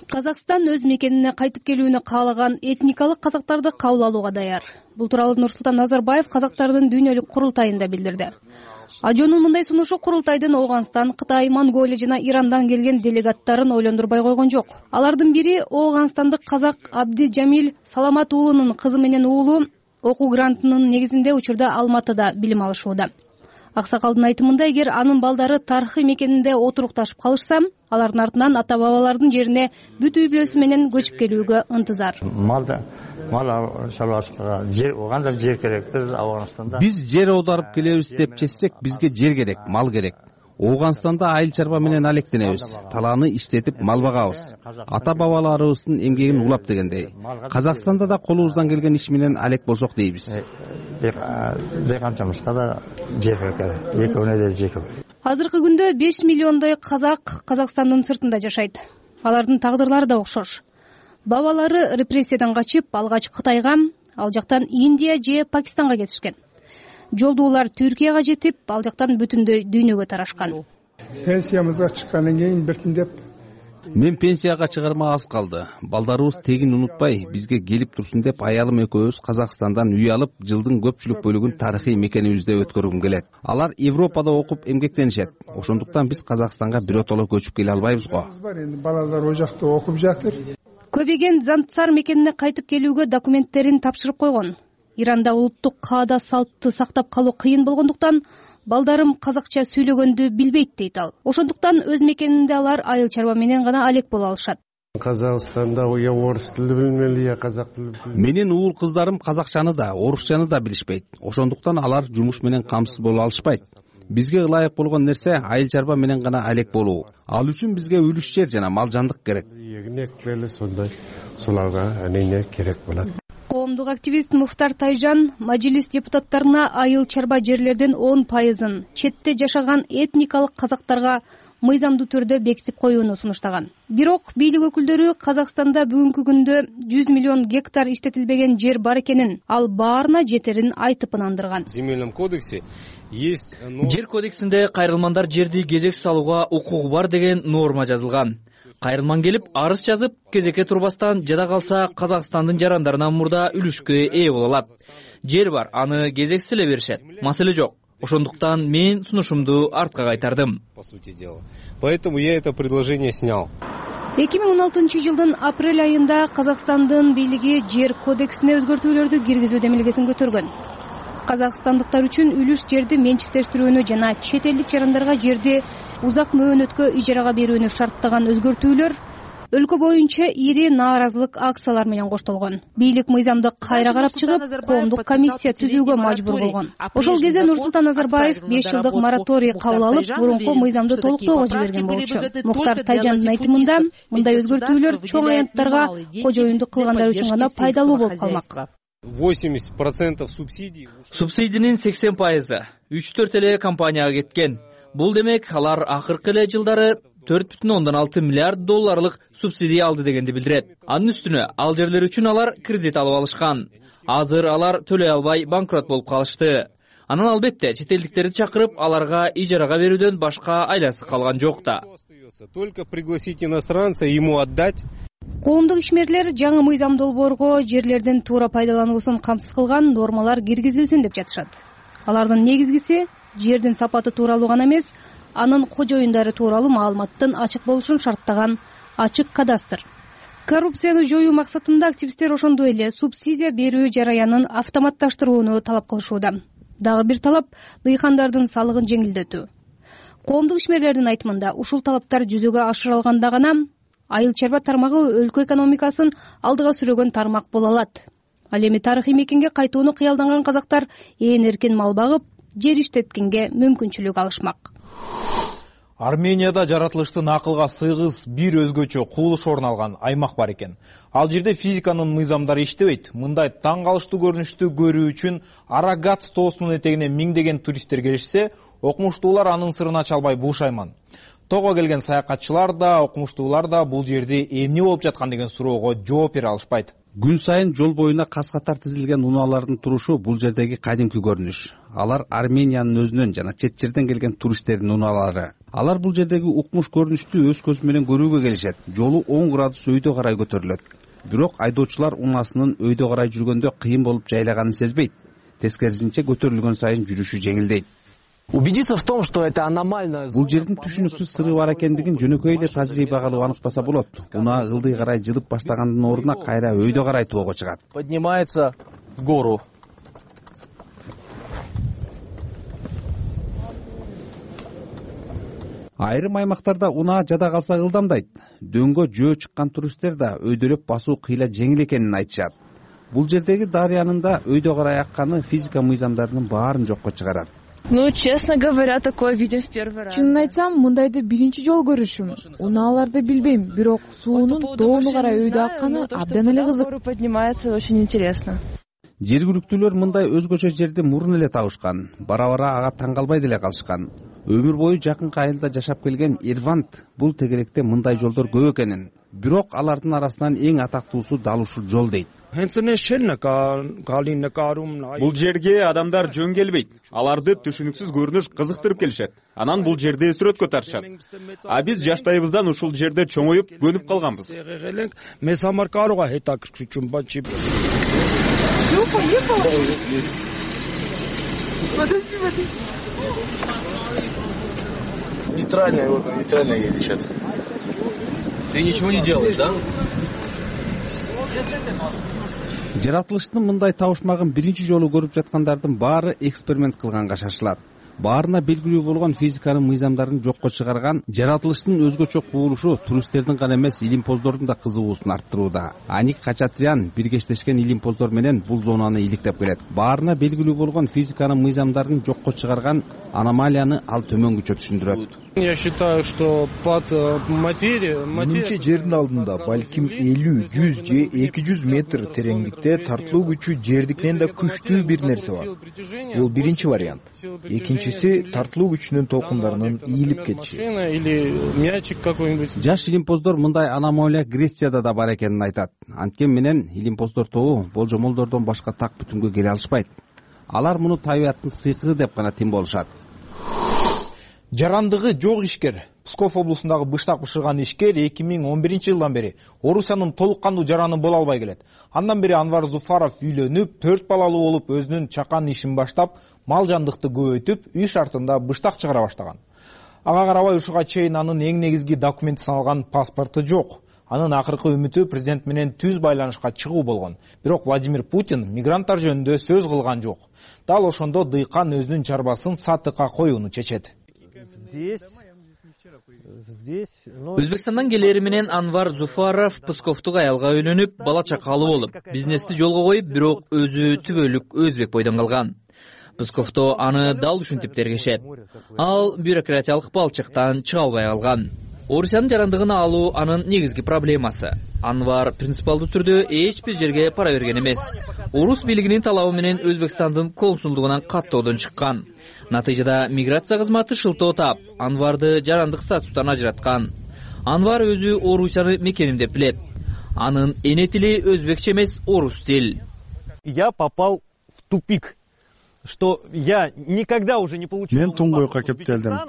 Казакстан өз мекенине кайтып келүүнү каалаган этникалык казактарды кабыл алууга даяр. Бул тууралуу Нурсултан Назарбаев казактардын дүйнөлүк курултайында билдирди. Ажонун мындай сунушу курултайдын Ооганстан, Кытай, Монголия жана Ирандан келген делегаттарын ойлондурбай койгон жок. Алардын бири ооганстандык казак Абди Жамил Саламат уулунун кызы менен уулу окуу грантынын негизинде учурда Алматыда билим алышууда. Аксакалдын айтымында, эгер анын балдары тарыхый мекенинде отурукташып калышса, алардын артынан ата-бабалардын жерине бүт үй бүлөсү менен көчүп келүүгө ынтызар. Мал шаруашылыгына жер, оған да жер керек. Ауганстанда Биз жер аударып келебиз деп чечсек, бизге жер керек, мал керек. Ооганстанда айыл чарба менен алектенебиз, талааны иштетип мал багабыз. Ата-бабаларыбыздын эмгегин улап дегендей. Казакстанда да колубуздан келген иш менен алек болсок дейбиз. Деканчамызга да жер керек, экөөнө да жер керек. Азыркы күндө 5 миллиондой казак Казакстандын сыртында жашайт. Алардын тагдырлары да окшош. Бабалары репрессиядан качып, алгач Кытайга, ал жактан Индия же Пакистанга кетишкен. Жолдуулар Түркияга жетип, ал жактан бүтүндөй дүйнөгө тарашкан. Пенсиямызга чыккандан кийин биртиндеп Мен пенсияга чыгарма аз калды. Балдарыбыз тегин унутпай, бизге келип турсун деп аялым экөөбүз Казакстандан үй алып, жылдын көпчүлүк бөлүгүн тарыхый мекенибизде өткөргүм келет. Алар Европада окуп эмгектенишет. Ошондуктан биз Казакстанга биротоло көчүп келе албайбыз го. Балалар о жакта окуп жатыр. Көбеген Зантсар мекенине кайтып келүүгө документтерин тапшырып койгон. Иранда улуттук каада салтты сактап калуу кыйын болгондуктан балдарым казакча сүйлөгөндү билбейт дейт ал. Ошондуктан өз мекенинде алар айыл чарба менен гана алек боло алышат. Казакстанда я орус тили билмели, я казак тили. Менин уул кыздарым казакчаны да, орусчаны да билишпейт. Ошондуктан алар жумуш менен камсыз боло алышпайт. Бизге ылайык болгон нерсе айыл чарба менен гана алек болуу. Ал үчүн бизге үлүш жер жана мал жандык керек. Сондай суларга анене керек болот. Коомдук активист Муфтар Тайжан мажлис депутаттарына айыл чарба жерлердин 10%-ын четте жашаган этникалык казактарга мыйзамдуу түрдө бекитип коюуну сунуштаган. Бирок бийлик өкүлдөрү Казакстанда бүгүнкү күндө 100 миллион гектар иштетилбеген жер бар экенин, ал баарына жетерин айтып ынандырган. Жер кодексинде кайрылмандар жерди кезексиз алууга укугу бар деген норма жазылган. Кайрылман келип арыз жазып, кезекке турбастан жада калса Казакстандын жарандарынан мурда үлүшкө ээ боло алат. Жер бар, аны кезексиз эле беришет. Маселе жок. Ошондуктан мен сунушумду артка кайтардым. Поэтому я это предложение снял. 2016 жылдын апрель айында Казакстандын бийлиги жер кодексине өзгөртүүлөрдү киргизүү демилгесин көтөргөн. Казакстандыктар үчүн үлүш жерди менчиктештирүүнү жана чет элдик жарандарга жерди узак мөөнөткө ижарага берүүнү шарттаган өзгөртүүлөр өлкө боюнча ири нааразылык акциялар менен коштолгон. Бийлик мыйзамды кайра карап чыгып, коомдук комиссия түзүүгө мажбур болгон. Ошол кезде Нурсултан Назарбаев 5 жылдык мораторий кабыл алып, мурунку мыйзамды толуктоого жиберген болчу. Муктар Тайжандын айтымында, мындай өзгөртүүлөр чоң аянттарга кожоюндук кылгандар үчүн гана пайдалуу болуп калмак. 80% субсидий. Субсидинин 80%ы 3-4 эле компанияга кеткен. Бул демек алар акыркы эле жылдары 4,6 миллиард долларлык субсидия алды дегенди билдирет. Анын үстүнө ал жерлер үчүн алар кредит алып алышкан. Азыр алар төлөй албай банкрот болуп калышты. Анан албетте чет элдиктерди чакырып, аларга ижарага берүүдөн башка айласы калган жок да. Только пригласить иностранца и ему отдать. Коомдук ишмерлер жаңы мыйзам долбоорго жерлердин туура пайдалануусун камсыз кылган нормалар киргизилсин деп жатышат. Алардын негизгиси жердин сапаты тууралуу гана эмес, анын кожоюндары тууралуу маалыматтын ачык болушун шарттаган ачык кадастр. Коррупцияны жоюу максатында активисттер ошондой эле субсидия берүү жараянын автоматташтырууну талап кылышууда. Дагы бир талап дыйкандардын салыгын жеңилдетүү. Коомдук ишмерлердин айтымында ушул талаптар жүзөгө ашырылганда гана айыл чарба тармагы өлкө экономикасын алдыга сүрөгөн тармак боло алат. Ал эми тарыхый мекенге кайтууну кыялданган казактар ээн эркин мал багып, жер иштеткенге мүмкүнчүлүк алышмак. Арменияда жаратылыштын акылга сыйгыз бир өзгөчө кубулуш орун алган аймак бар экен. Ал жерде физиканын мыйзамдары иштебейт. Мындай таң калыштуу көрүнүштү көрүү үчүн Арагац тоосунун этегине миңдеген туристтер келишсе, окумуштуулар анын сырын ача албай бушайман. Того келген саякатчылар да, окумуштуулар да бул жерде эмне болуп жаткан деген суроого жооп бере алышпайт. Күн сайын жол боюна кас-катар тизилген унаалардын турушу бул жердеги кадимки көрүнүш. Алар Армениянын өзүнөн жана чет жерден келген туристтердин унаалары. Алар бул жердеги укмуш көрүнүштү өз көзү менен көрүүгө келишет. Жолу 10 градус өйдө карай көтөрүлөт. Бирок айдоочулар унаасынын өйдө карай жүргөндө кыйын болуп жайлаганын сезбейт. Тескерисинче көтөрүлгөн сайын жүрүшү жеңилдейт. Убедиться в том, что это аномально. Бул жердин түшүнүксүз сыры бар экендигин жөнөкөй эле тажрыйба кылып аныктаса болот. Унаа ылдый карай жылып баштагандын ордуна кайра өйдө карай тоого чыгат. Поднимается в гору. Айрым аймактарда унаа жада калса ылдамдайт. Дөңгө жөө чыккан туристтер да өйдөлөп басуу кыйла жеңил экенин айтышат. Бул жердеги дарыянын да өйдө карай акканы физика мыйзамдарынын баарын жокко чыгарат. Ну, честно говоря, такое видим в первый раз. Чынын айтсам, мындайды биринчи жолу көрүшүм. Унааларды билбейм, бирок суунун доону карай өйдө акканы абдан эле кызык. Поднимается, очень интересно. Жергиликтүүлөр мындай өзгөчө жерди мурун эле табышкан. Бара-бара ага таң калбай деле калышкан. Өмүр бою жакынкы айылда жашап келген Ирвант бул тегеректе мындай жолдор көп экенин, бирок алардын арасынан эң атактуусу дал ушул жол дейт. Бул жерге адамдар жөн келбейт. Аларды түшүнүксүз көрүнүш кызыктырып келишет. Анан бул жерде сүрөткө тартышат. А биз жаштайыбыздан ушул жерде чоңоюп, көнүп калганбыз. Нейтральная едет сейчас. Ты ничего не делаешь, да? Жаратылыштын мындай табышмагын биринчи жолу көрүп жаткандардын баары эксперимент кылганга шашылат. Баарына белгилүү болгон физиканын мыйзамдарын жокко чыгарган жаратылыштын өзгөчө кубулушу туристтердин гана эмес илимпоздордун да кызыгуусун арттырууда. Аник Хачатрян биргештешкен илимпоздор менен бул зонаны иликтеп келет. Баарына белгилүү болгон физиканын мыйзамдарын жокко чыгарган аномалияны ал төмөнгүчө түшүндүрөт. Я считаю, что под материей... Менимче жердин алдында балким 50, 100 же 200 метр тереңдикте тартылуу күчү жердикинен да күчтүү бир нерсе бар. Бул биринчи вариант. Экинчиси тартылуу күчүнүн толкундарынын ийилип кетиши. Или мячик какой-нибудь. Жаш илимпоздор мындай аномалия Грецияда да бар экенин айтат. Анткени менен илимпоздор тобу болжомолдордон башка так бүтүнгө келе алышпайт. Алар муну табияттын сыйкыгы деп гана тим болушат. Жарандыгы жок ишкер. Псков облусундагы быштак бышырган ишкер 2011-жылдан бери Орусиянын толук кандуу жараны боло албай келет. Андан бери Анвар Зуфаров үйлөнүп, 4 балалуу болуп, өзүнүн чакан ишин баштап, мал жандыкты көбөйтүп, үй шартында быштак чыгара баштаган. Ага карабай ушуга чейин анын эң негизги документи саналган паспорту жок. Анын акыркы үмүтү президент менен түз байланышка чыгуу болгон. Бирок Владимир Путин мигранттар жөнүндө сөз кылган жок. Дал ошондо дыйкан өзүнүн чарбасын сатыкка коюуну чечет. Өзбекстандан келери менен Анвар Зуфаров Псковтук аялга үйлөнүп, бала чакалуу болуп, бизнести жолго коюп, бирок өзү түбөлүк өзбек бойдон калган. Псковто аны дал ушинтип тергешет. Ал бюрократиялык балчыктан чыга албай калган. Орусиянын жарандыгын алуу анын негизги проблемасы. Анвар принципиалдуу түрдө эч бир жерге пара берген эмес. Орус бийлигинин талабы менен Өзбекстандын консулдугунан каттоодон чыккан. Натыйжада миграция кызматы шылтоо таап, Анварды жарандык статустан ажыраткан. Анвар өзү Орусияны мекеним деп билет. Анын эне тили өзбекче эмес, орус тил. Я попал в тупик, что я никогда уже не получил. Мен туңгуйга кептелдим.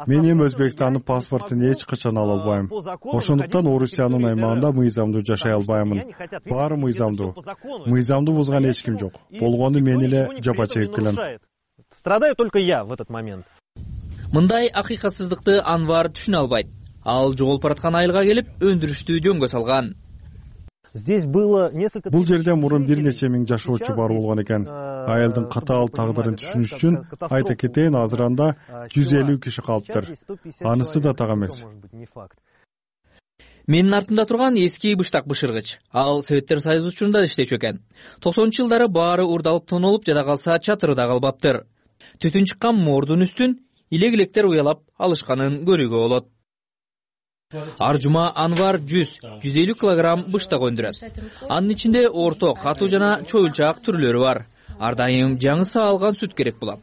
Мен эми Өзбекстандын паспортун эч качан ала албайм. Ошондуктан Орусиянын аймагында мыйзамдуу жашай албаймын. Баары мыйзамдуу. Мыйзамды бузган эч ким жок. Болгону мен эле жапа чегип келем. Страдаю только я в этот момент. Мындай акыйкатсыздыкты Анвар түшүнө албайт. Ал жоголуп бараткан айылга келип, өндүрүштү жөнгө салган. Бул жерде мурун бир нече миң жашоочу бар болгон экен. Айылдын катаал тагдырын түшүнүш үчүн айта кетейин, азыр анда 150 киши калыптыр. Анысы да так эмес. Менин артымда турган эски быштак бышыргыч. Ал Советтер Союзу учурунда иштечү экен. 90-жылдары баары урдалып тонолуп, жада калса чатыры да калбаптыр. Түтүн чыккан мордун үстүн илек-илектер уялап алышканын көрүүгө болот. Ар жума Анвар 100-150 килограмм быштак өндүрөт. Анын ичинде орто, катуу жана чоюлчак түрлөрү бар. Ар дайым жаңы саалган сүт керек болот.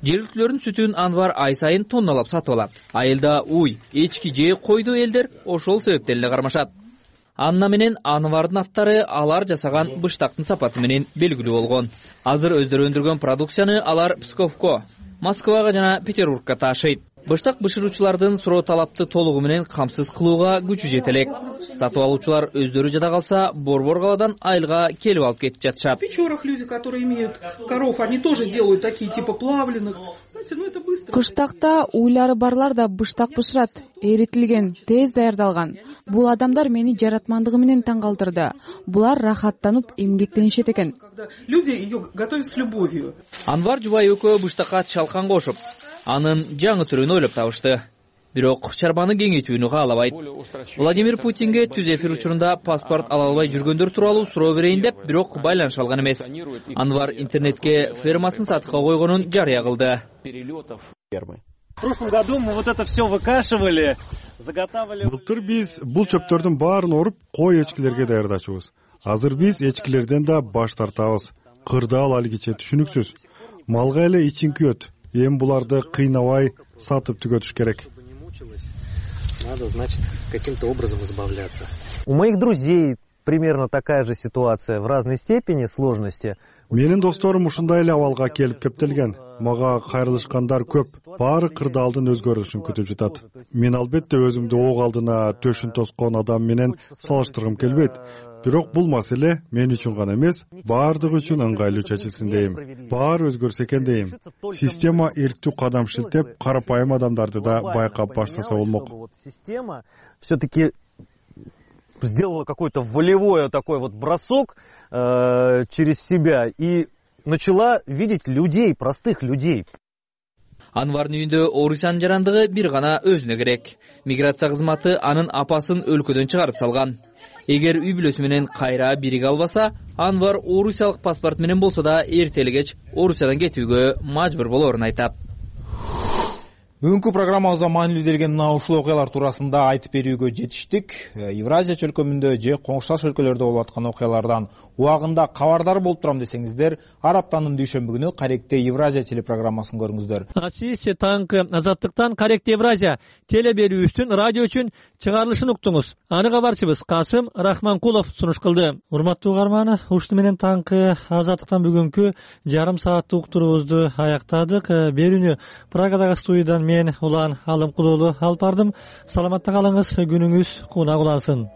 Жергиликтүүлөрдүн сүтүн Анвар ай сайын тонналап сатып алат. Айылда уй, эчки же койду элдер ошол себептен эле кармашат. Анна менен Анвардын аттары алар жасаган быштактын сапаты менен белгилүү болгон. Азыр өздөрү өндүргөн продукцияны алар Псковко, Москвага жана Петербургка таашайт. Быштак бышыруучулардын суроо талапты толугу менен камсыз кылууга күчү жете элек. Сатып алуучулар өздөрү жада калса борбор каладан айылга келип алып кетип жатышат. В Печорах люди, которые имеют коров, они тоже делают такие типа плавленых. Кыштакта уйлары барлар да быштак бышырат, эритилген, тез даярдалган. Бул адамдар мени жаратмандыгы менен таң калтырды. Булар рахаттанып эмгектенишет экен. Люди ее готовят с любовью. Анвар жубай экөө быштакка чалкан кошуп, анын жаңы түрүн ойлоп табышты. Бирок чарбаны кеңейтүүнү каалабайт. Владимир Путинге түз эфир учурунда паспорт ала албай жүргөндөр тууралуу суроо берейин деп, бирок байланыша алган эмес. Анвар интернетке фермасын сатыкка койгонун жарыя кылды. В прошлом году мы вот это все выкашивали, заготавливали. Былтыр биз бул чөптөрдүн баарын оруп, кой эчкилерге даярдачубуз. Азыр биз эчкилерден да баш тартабыз. Кырдаал алгиче түшүнүксүз. Малга эле ичин күйөт. Эми буларды кыйнабай сатып түгөтүш керек. Надо, значит, каким-то образом избавляться. У моих друзей примерно такая же ситуация в разной степени сложности. Менин досторум ушундай эле абалга келип кептелген. Мага кайрылышкандар көп. Баары кырдаалдын өзгөрүшүн күтүп жатат. Мен албетте өзүмдү ок алдына төшүн тоскон адам менен салыштыргым келбейт. Бирок бул маселе мен үчүн гана эмес, баардыгы үчүн ыңгайлуу чечилсин дейм. Баары өзгөрсө экен дейм. Система эрктүү кадам шилтеп, карапайым адамдарды да байкап баштаса болмок. Система все-таки сделала какой-то волевой такой вот бросок через себя и начала видеть людей, простых людей. Анвардын үйүндө Орусиянын жарандыгы бир гана өзүнө керек. Миграция кызматы анын апасын өлкөдөн чыгарып салган. Эгер үй бүлөсү менен кайра бириге албаса, Анвар орусиялык паспорт менен болсо да эртели кеч Орусиядан кетүүгө мажбур болоорун айтат. Бүгүнкү программабызда маанилүү делген мына ушул окуялар туурасында айтып берүүгө жетиштик. Евразия чөлкөмүндө же коңшулаш өлкөлөрдө болуп аткан окуялардан убагында кабардар болуп турам десеңиздер, Араптанын дүйшөмбү күнү Каректе Евразия телепрограммасын көрүңүздөр. Сиз таңкы Азаттыктан Каректе Евразия теле берүүбүздүн радио үчүн чыгарылышын уктуңуз. Аны кабарчыбыз Касым Рахманкулов сунуш кылды. Урматтуу угарман, ушуну менен таңкы Азаттыктан бүгүнкү жарым сааттык уктуруубузду аяктадык. Берүүнү Прагадагы студиядан мен Улан Алымкулуулу алып бардым. Саламатта калыңыз, күнүңүз кунак улансын.